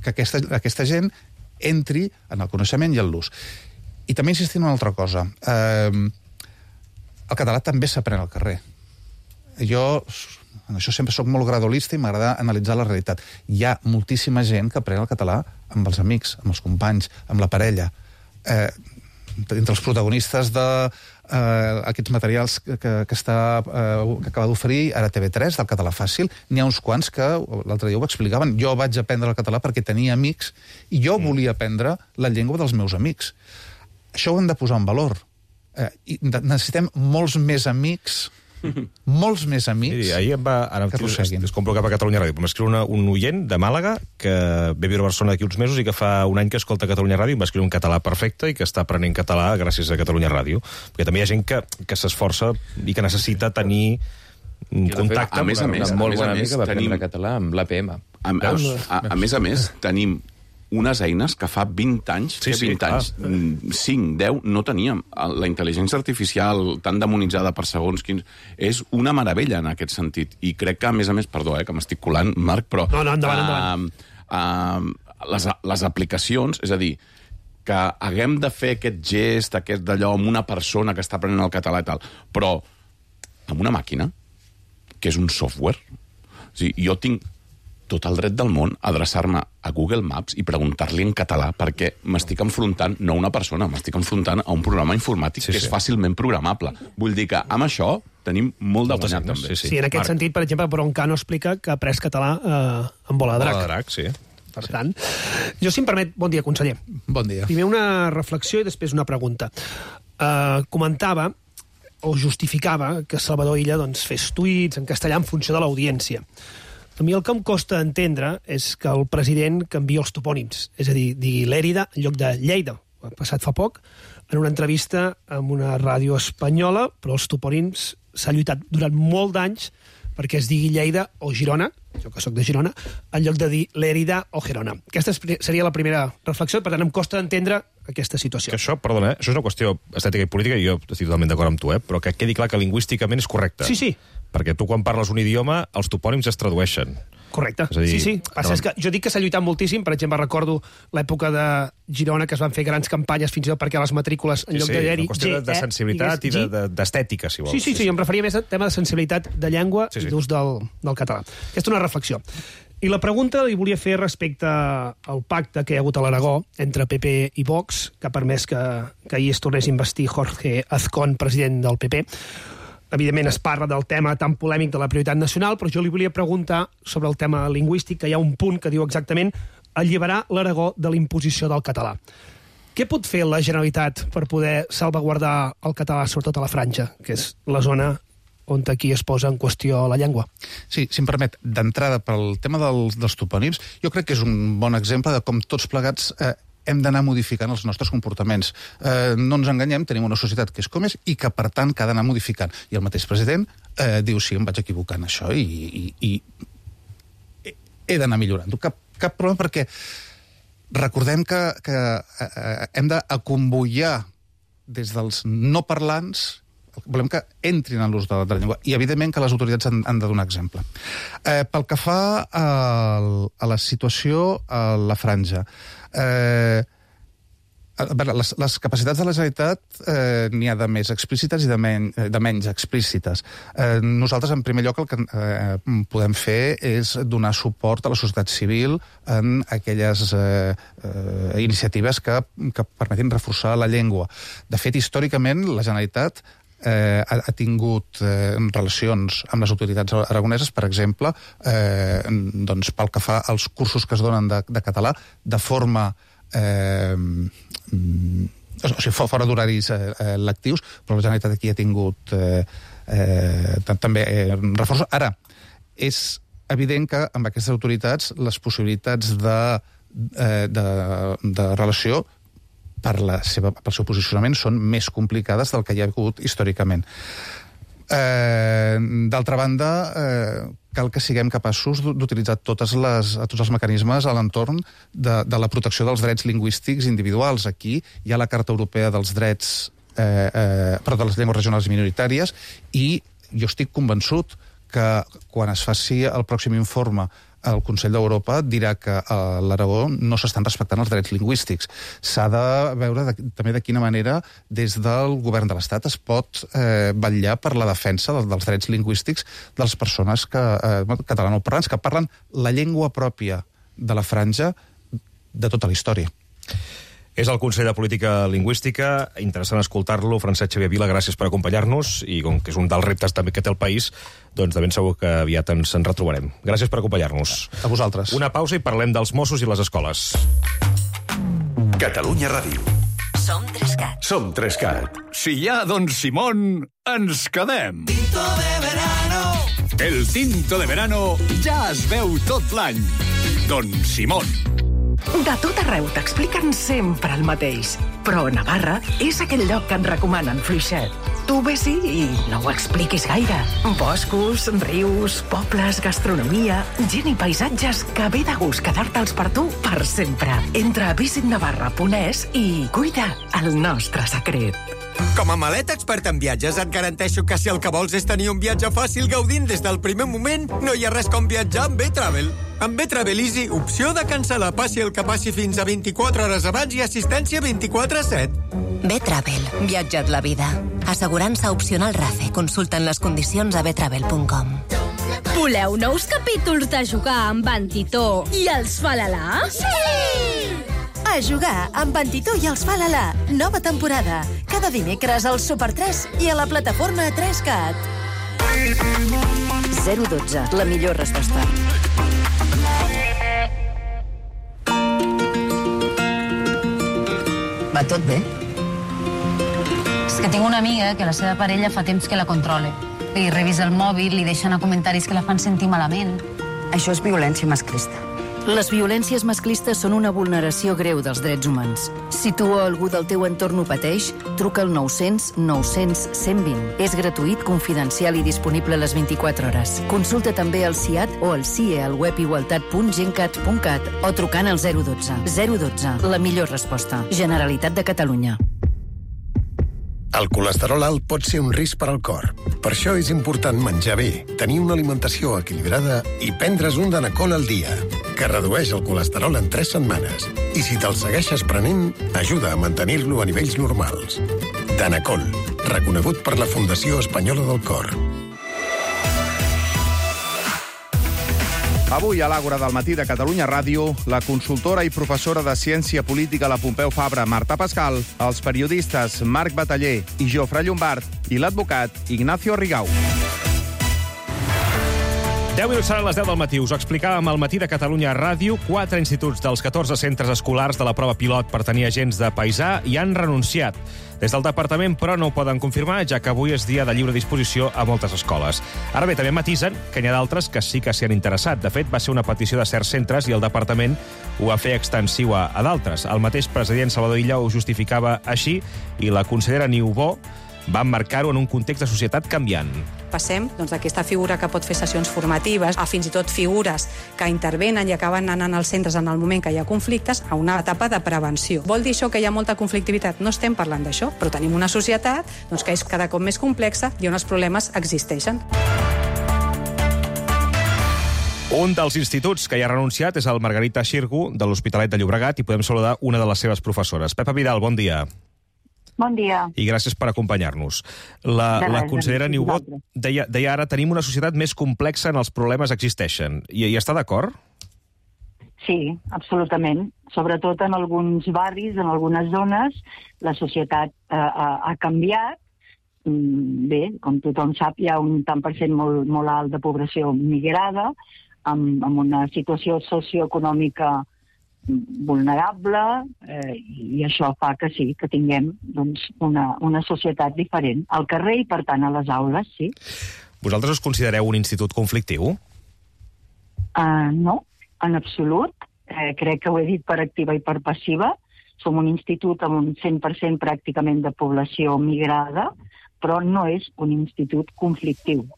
que aquesta gent entri en el coneixement i en l'ús. I també insistim en una altra cosa. El català també s'aprèn al carrer. Jo, en això sempre soc molt gradolista i m'agrada analitzar la realitat. Hi ha moltíssima gent que aprèn el català amb els amics, amb els companys, amb la parella. Entre els protagonistes d'aquests materials que acaba d'oferir ara TV3, del català fàcil, n'hi ha uns quants que l'altre dia ho explicaven. Jo vaig aprendre el català perquè tenia amics i jo volia aprendre la llengua dels meus amics. Això ho hem de posar en valor. Necessitem molts més amics Miri, ahir em va... que prosseguin. Es compro cap a Catalunya Ràdio. M'escriu un oient de Màlaga que ve a viure a Barcelona d'aquí uns mesos i que fa un any que escolta Catalunya Ràdio i em va escriure un català perfecte i que està aprenent català gràcies a Catalunya Ràdio. Perquè també hi ha gent que s'esforça i que necessita tenir un contacte amb una molt bona amiga va aprendre català amb l'APM. A més, tenim unes eines que fa 20 anys, 5, 10, no teníem. La intel·ligència artificial tan demonitzada per segons quins... És una meravella en aquest sentit. I crec que, a més, perdó, que m'estic colant, Marc, però... No, endavant. Les aplicacions, és a dir, que haguem de fer aquest gest, aquest d'allò, amb una persona que està aprenent el català i tal, però amb una màquina, que és un software. O sigui, jo tinc tot el dret del món a adreçar-me a Google Maps i preguntar-li en català, perquè m'estic enfrontant, no a una persona, m'estic enfrontant a un programa informàtic que és fàcilment programable. Vull dir que amb això tenim molt de guanyat, també. Sí, en aquest sentit, per exemple, Broncano explica que ha après català en Bola de Drac. Bola de Drac, sí. Per tant, jo, si em permet, bon dia, conseller. Bon dia. Primer una reflexió i després una pregunta. Comentava o justificava que Salvador Illa fes tuits en castellà en funció de l'audiència. A mi el que em costa entendre és que el president canvia els topònims, és a dir, digui Lèrida en lloc de Lleida. Ho ha passat fa poc, en una entrevista amb una ràdio espanyola, però els topònims s'ha lluitat durant molt d'anys perquè es digui Lleida o Girona, jo que sóc de Girona, en lloc de dir Lèrida o Gerona. Aquesta seria la primera reflexió, per tant em costa entendre aquesta situació. Que això, perdona, això és una qüestió estètica i política, i jo estic totalment d'acord amb tu, però que quedi clar que lingüísticament és correcte. Sí. Perquè tu, quan parles un idioma, els topònims es tradueixen. Correcte, dir, sí. Passa és que jo dic que s'ha lluitat moltíssim, per exemple, recordo l'època de Girona, que es van fer grans campanyes fins i tot perquè les matrícules, en lloc de dir-hi... una qüestió de sensibilitat i d'estètica, si vols. Sí, em referia més al tema de sensibilitat de llengua i d'ús del català. Aquesta és una reflexió. I la pregunta li volia fer respecte al pacte que hi ha hagut a l'Aragó entre PP i Vox, que ha permès que ahir es tornés a investir Jorge Azcón, president del PP. Evidentment es parla del tema tan polèmic de la prioritat nacional, però jo li volia preguntar sobre el tema lingüístic, que hi ha un punt que diu exactament alliberar l'Aragó de la imposició del català. Què pot fer la Generalitat per poder salvaguardar el català, sobretot a la Franja, que és la zona on aquí es posa en qüestió la llengua? Sí, si em permet, d'entrada, pel tema dels topònims, jo crec que és un bon exemple de com tots plegats hem d'anar modificant els nostres comportaments. No ens enganyem, tenim una societat que és com és i que, per tant, que ha d'anar modificant. I el mateix president diu, sí, em vaig equivocar en això i he d'anar millorant-ho. Cap problema, perquè recordem que hem d'acomboiar des dels no parlants, volem que entrin en l'ús de la llengua, i evidentment que les autoritats han de donar exemple. Pel que fa a la situació a la Franja, les capacitats de la Generalitat n'hi ha de més explícites i de menys explícites. Nosaltres, en primer lloc, el que podem fer és donar suport a la societat civil en aquelles iniciatives que permetin reforçar la llengua. De fet, històricament, la Generalitat ha tingut relacions amb les autoritats aragoneses, per exemple, pel que fa als cursos que es donen de català, de forma fora d'horaris lectius, però la Generalitat aquí ha tingut també reforç. Ara, és evident que amb aquestes autoritats les possibilitats de relació pel seu posicionament són més complicades del que hi ha hagut històricament. D'altra banda, cal que siguem capaços d'utilitzar tots els mecanismes a l'entorn de la protecció dels drets lingüístics individuals. Aquí hi ha la Carta Europea dels Drets de les Llengües Regionals i Minoritàries, i jo estic convençut que quan es faci el pròxim informe el Consell d'Europa dirà que a l'Aragó no s'estan respectant els drets lingüístics. S'ha de veure també de quina manera des del govern de l'Estat es pot vetllar per la defensa dels drets lingüístics de les persones catalanoparlants que parlen la llengua pròpia de la Franja de tota la història. És el Consell de Política Lingüística. Interessant escoltar-lo. Francesc Xavier Vila, gràcies per acompanyar-nos, i com que és un dels reptes també que té el país, doncs de ben segur que aviat ens en retrobarem. Gràcies per acompanyar-nos. A vosaltres. Una pausa i parlem dels Mossos i les escoles. Catalunya Ràdio. Som Trescat. Som Trescat. Si hi ha Don Simón, ens quedem. Tinto de verano. El tinto de verano ja es veu tot l'any. Don Simón. De tot arreu t'expliquen sempre el mateix, però Navarra és aquell lloc que et recomanen fluixet. Tu ves-hi i no ho expliquis gaire. Boscos, rius, pobles, gastronomia, gent i paisatges que ve de gust quedar-te'ls per tu per sempre. Entra a visitnavarra.es i cuida el nostre secret. Com a maleta expert en viatges et garanteixo que si el que vols és tenir un viatge fàcil gaudint des del primer moment, no hi ha res com viatjar amb B-Travel. Amb B-Travel Easy, opció de cancel·lar passi el que passi fins a 24 hores abans i assistència 24/7. B-Travel. Viatja't la vida. Assegurança opcional RACE. Consulta'n les condicions a btravel.com. Voleu nous capítols de Jugar amb en Titó i els Falalà? Sí! A Jugar amb en Titó i els Falalà. Nova temporada. Cada dimecres al Super 3 i a la plataforma 3CAT. 012, la millor resposta. Va tot bé? És que tinc una amiga que la seva parella fa temps que la controla. Li revisa el mòbil, li deixa anar comentaris que la fan sentir malament. Això és violència masclista. Les violències masclistes són una vulneració greu dels drets humans. Si tu o algú del teu entorn ho pateix, truca al 900 900 120. És gratuït, confidencial i disponible a les 24 hores. Consulta també el CIAT o el CIE al web igualtat.gencat.cat o trucant al 012. 012, la millor resposta. Generalitat de Catalunya. El colesterol alt pot ser un risc per al cor. Per això és important menjar bé, tenir una alimentació equilibrada i prendre's un Danacol al dia, que redueix el colesterol en 3 setmanes. I si te'l segueixes prenent, ajuda a mantenir-lo a nivells normals. Danacol, reconegut per la Fundació Espanyola del Cor. Avui, a l'Àgora del matí de Catalunya Ràdio, la consultora i professora de Ciència Política a la Pompeu Fabra, Marta Pascal, els periodistes Marc Bataller i Jofre Llombart i l'advocat Ignacio Rigau. 10 minuts seran les 10 del matí. Us ho explicàvem al matí de Catalunya Ràdio. 4 instituts dels 14 centres escolars de la prova pilot per tenir agents de paisà hi han renunciat. Des del departament, però, no ho poden confirmar, ja que avui és dia de lliure disposició a moltes escoles. Ara bé, també matisen que n'hi ha d'altres que sí que s'hi han interessat. De fet, va ser una petició de certs centres i el departament ho va fer extensiu a d'altres. El mateix president Salvador Illa ho justificava així i la consellera Niubó va emmarcar-ho en un context de societat canviant. Passem d'aquesta figura que pot fer sessions formatives a fins i tot figures que intervenen i acaben anant als centres en el moment que hi ha conflictes a una etapa de prevenció. Vol dir això que hi ha molta conflictivitat? No estem parlant d'això, però tenim una societat que és cada cop més complexa i on els problemes existeixen. Un dels instituts que hi ha renunciat és el Margarita Xirgu de l'Hospitalet de Llobregat i podem saludar una de les seves professores. Pepa Vidal, bon dia. Bon dia. I gràcies per acompanyar-nos. La consellera Niubó deia ara tenim una societat més complexa en els problemes existeixen. I està d'acord? Sí, absolutament. Sobretot en alguns barris, en algunes zones, la societat ha canviat. Bé, com tothom sap, hi ha un tant per cent molt alt de població migrada, amb una situació socioeconòmica vulnerable, i això fa que sí, que tinguem una societat diferent al carrer i, per tant, a les aules, sí. Vosaltres us considereu un institut conflictiu? No, en absolut. Crec que ho he dit per activa i per passiva. Som un institut amb un 100% pràcticament de població migrada, però no és un institut conflictiu.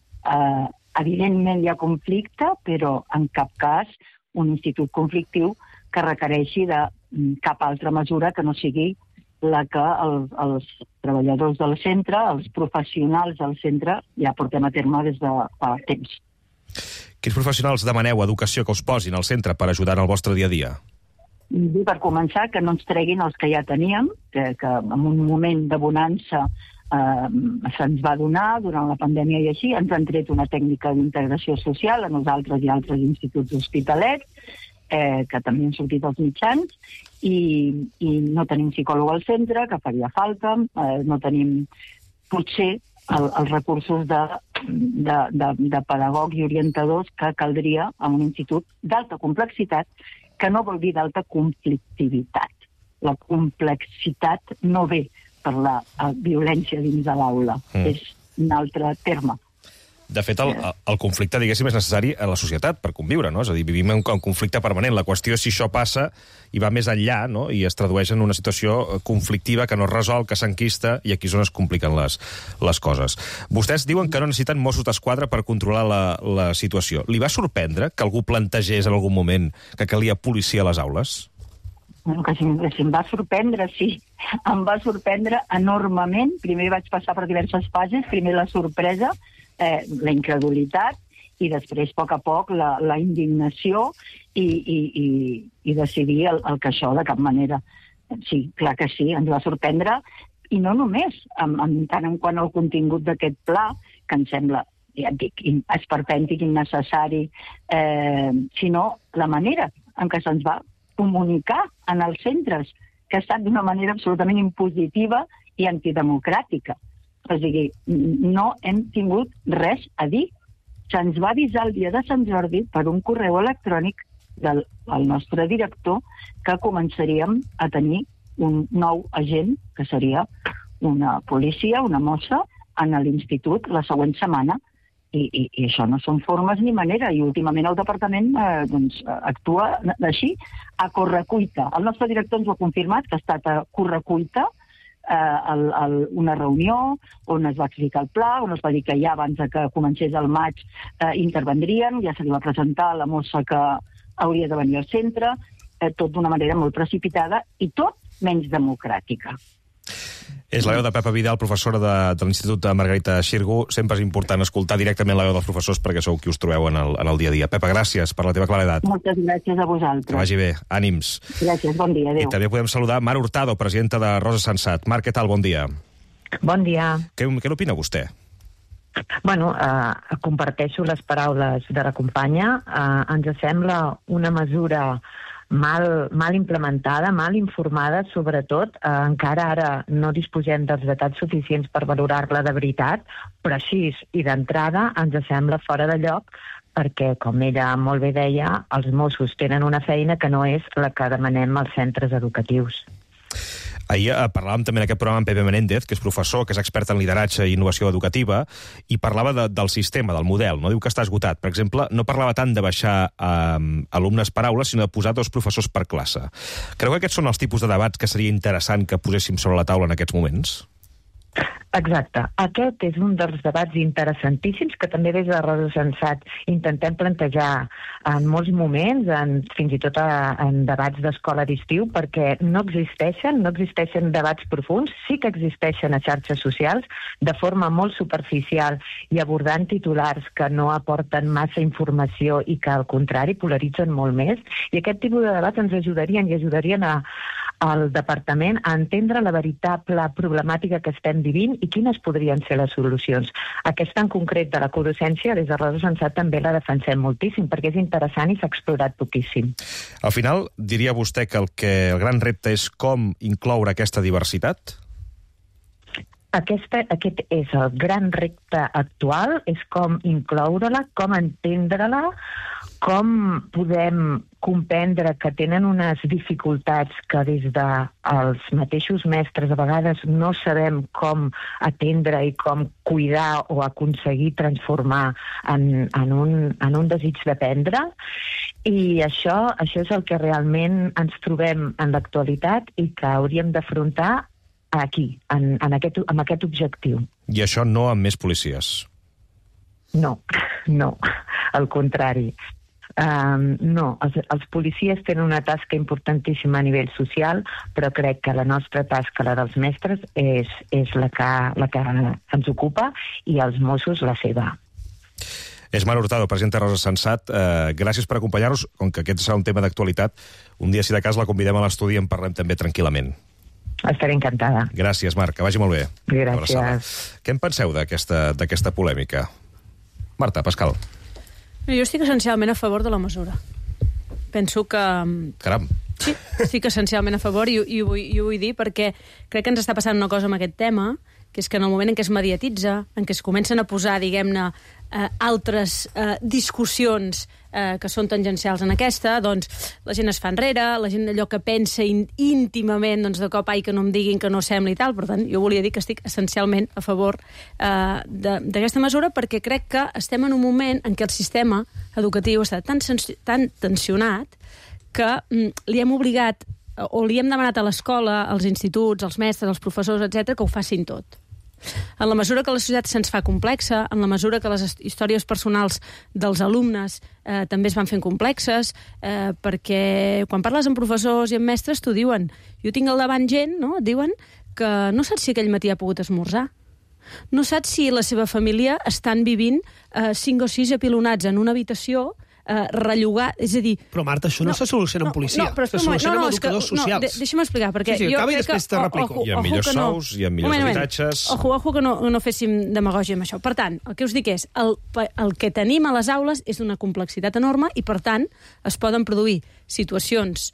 Evidentment hi ha conflicte, però en cap cas un institut conflictiu que requereixi de cap altra mesura que no sigui la que els treballadors del centre, els professionals del centre, ja portem a terme des de fa temps. Quins professionals demaneu educació que us posin al centre per ajudar en el vostre dia a dia? Per començar, que no ens treguin els que ja teníem, que en un moment de bonança se'ns va donar durant la pandèmia i així, ens han tret una tècnica d'integració social a nosaltres i altres instituts hospitalets, que també han sortit als mitjans, i no tenim psicòleg al centre, que faria falta, no tenim potser els recursos de pedagogs i orientadors que caldria en un institut d'alta complexitat, que no vol dir d'alta conflictivitat. La complexitat no ve per la violència dins de l'aula, és un altre terme. De fet, el conflicte, diguéssim, és necessari a la societat per conviure, no? És a dir, vivim en conflicte permanent. La qüestió és si això passa i va més enllà, no? I es tradueix en una situació conflictiva que no es resol, que s'enquista, i aquí és on es compliquen les coses. Vostès diuen que no necessiten Mossos d'Esquadra per controlar la situació. Li va sorprendre que algú plantegés en algun moment que calia policia a les aules? Que si em va sorprendre, sí. Em va sorprendre enormement. Primer vaig passar per diverses fases. Primer la sorpresa, la incredulitat, i després, a poc, la indignació i decidir el que això de cap manera. Sí, clar que sí, ens va sorprendre, i no només, en tant en quant al contingut d'aquest pla, que em sembla ja et dic, esperpèntic, innecessari, sinó la manera en què se'ns va comunicar en els centres, que ha estat d'una manera absolutament impositiva i antidemocràtica. O sigui, no hem tingut res a dir. Se'ns va avisar el dia de Sant Jordi per un correu electrònic del nostre director que començaríem a tenir un nou agent, que seria una policia, una mossa, en l'institut la següent setmana. I això no són formes ni manera. I últimament el departament actua així, a correcuita. El nostre director ens ho ha confirmat, que ha estat a correcuita, una reunió on es va explicar el pla, on es va dir que ja abans que comencés el maig intervendrien, ja se li va presentar la mossa que hauria de venir al centre, tot d'una manera molt precipitada i tot menys democràtica. És la veu de Pepa Vidal, professora de l'Institut de Margarita Xirgu. Sempre és important escoltar directament la veu dels professors perquè sou qui us trobeu en el dia a dia. Pepa, gràcies per la teva claredat. Moltes gràcies a vosaltres. Que vagi bé. Ànims. Gràcies, bon dia, adéu. I també podem saludar Mar Hurtado, presidenta de Rosa Sensat. Mar, què tal? Bon dia. Bon dia. Què n'opina vostè? Bueno, comparteixo les paraules de la companya. Ens sembla una mesura mal implementada, mal informada, sobretot. Encara ara no disposem dels detalls suficients per valorar-la de veritat, però així i d'entrada ens sembla fora de lloc perquè, com ella molt bé deia, els Mossos tenen una feina que no és la que demanem als centres educatius. Ahir parlàvem també en aquest programa amb Pepe Menéndez, que és professor, que és expert en lideratge i innovació educativa, i parlava del sistema, del model. No diu que està esgotat. Per exemple, no parlava tant de baixar alumnes per aula, sinó de posar 2 professors per classe. Creu que aquests són els tipus de debats que seria interessant que poséssim sobre la taula en aquests moments? Exacte. Aquest és un dels debats interessantíssims que també des de Rosa Sensat intentem plantejar en molts moments, fins i tot en debats d'escola d'estiu, perquè no existeixen debats profunds, sí que existeixen a xarxes socials de forma molt superficial i abordant titulars que no aporten massa informació i que al contrari polaritzen molt més, i aquest tipus de debats ens ajudarien al departament a entendre la veritable problemàtica que estem vivint i quines podrien ser les solucions. Aquesta en concret de la codocència, des de Rosa Sensat també la defensem moltíssim, perquè és interessant i s'ha explorat poquíssim. Al final, diria vostè que el gran repte és com incloure aquesta diversitat? Aquest és el gran repte actual, és com incloure-la, com entendre-la, com podem comprendre que tenen unes dificultats que des dels mateixos mestres a vegades no sabem com atendre i com cuidar o aconseguir transformar en un desig d'aprendre. I això és el que realment ens trobem en l'actualitat i que hauríem d'afrontar aquí, amb aquest objectiu. I això no amb més policies? No, al contrari. No, els policies tenen una tasca importantíssima a nivell social, però crec que la nostra tasca, la dels mestres, és la que ens ocupa, i els Mossos la seva. És Mar Hurtado, presidenta de Rosa Sensat. Gràcies per acompanyar-nos. Com que aquest serà un tema d'actualitat, un dia, si de cas, la convidem a l'estudi i en parlem també tranquil·lament. Estaré encantada. Gràcies, Marc, que vagi molt bé. Gràcies. Què en penseu d'aquesta polèmica? Marta, Pascal. Jo estic essencialment a favor de la mesura. Penso que... Caram. Sí, estic essencialment a favor i ho vull dir perquè crec que ens està passant una cosa amb aquest tema, que és que en el moment en què es mediatitza, en què es comencen a posar, diguem-ne, altres discussions que són tangencials en aquesta, doncs la gent es fa enrere, la gent allò que pensa íntimament, doncs de cop, ai, que no em diguin que no sembla i tal. Per tant, jo volia dir que estic essencialment a favor d'aquesta mesura perquè crec que estem en un moment en què el sistema educatiu està tan tensionat que li hem obligat o li hem demanat a l'escola, als instituts, als mestres, als professors, etc., que ho facin tot. En la mesura que la societat se'ns fa complexa, en la mesura que les històries personals dels alumnes també es van fent complexes, perquè quan parles amb professors i amb mestres t'ho diuen. Jo tinc al davant gent, no? Et diuen que no saps si aquell matí ha pogut esmorzar. No saps si la seva família estan vivint 5 o 6 apilonats en una habitació rellogar... És a dir... Però, Marta, això no se soluciona amb policia. Se soluciona amb educadors socials. Deixa'm explicar, perquè sí, acaba i després te replico. Hi ha millors sous, hi ha millors habitatges... Ojo, que no féssim demagògia amb això. Per tant, el que us dic és, el que tenim a les aules és d'una complexitat enorme i, per tant, es poden produir situacions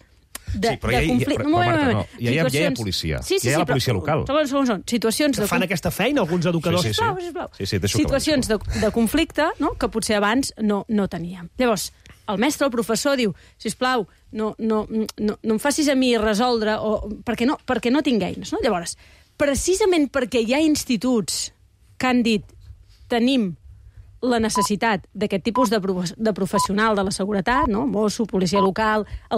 de conflicte. Però, Marta, no. Ja hi ha policia. Ja hi ha la policia local. Segons. Situacions que fan aquesta feina, alguns educadors. Sisplau. Situacions de conflicte, no?, que potser abans no teníem. Llavors, el mestre, el professor, diu, sisplau, no em facis a mi resoldre, perquè no tinc eines. No? Llavors, precisament perquè hi ha instituts que han dit tenim la necessitat d'aquest tipus de professional de la seguretat, no? Mosso, policia local, el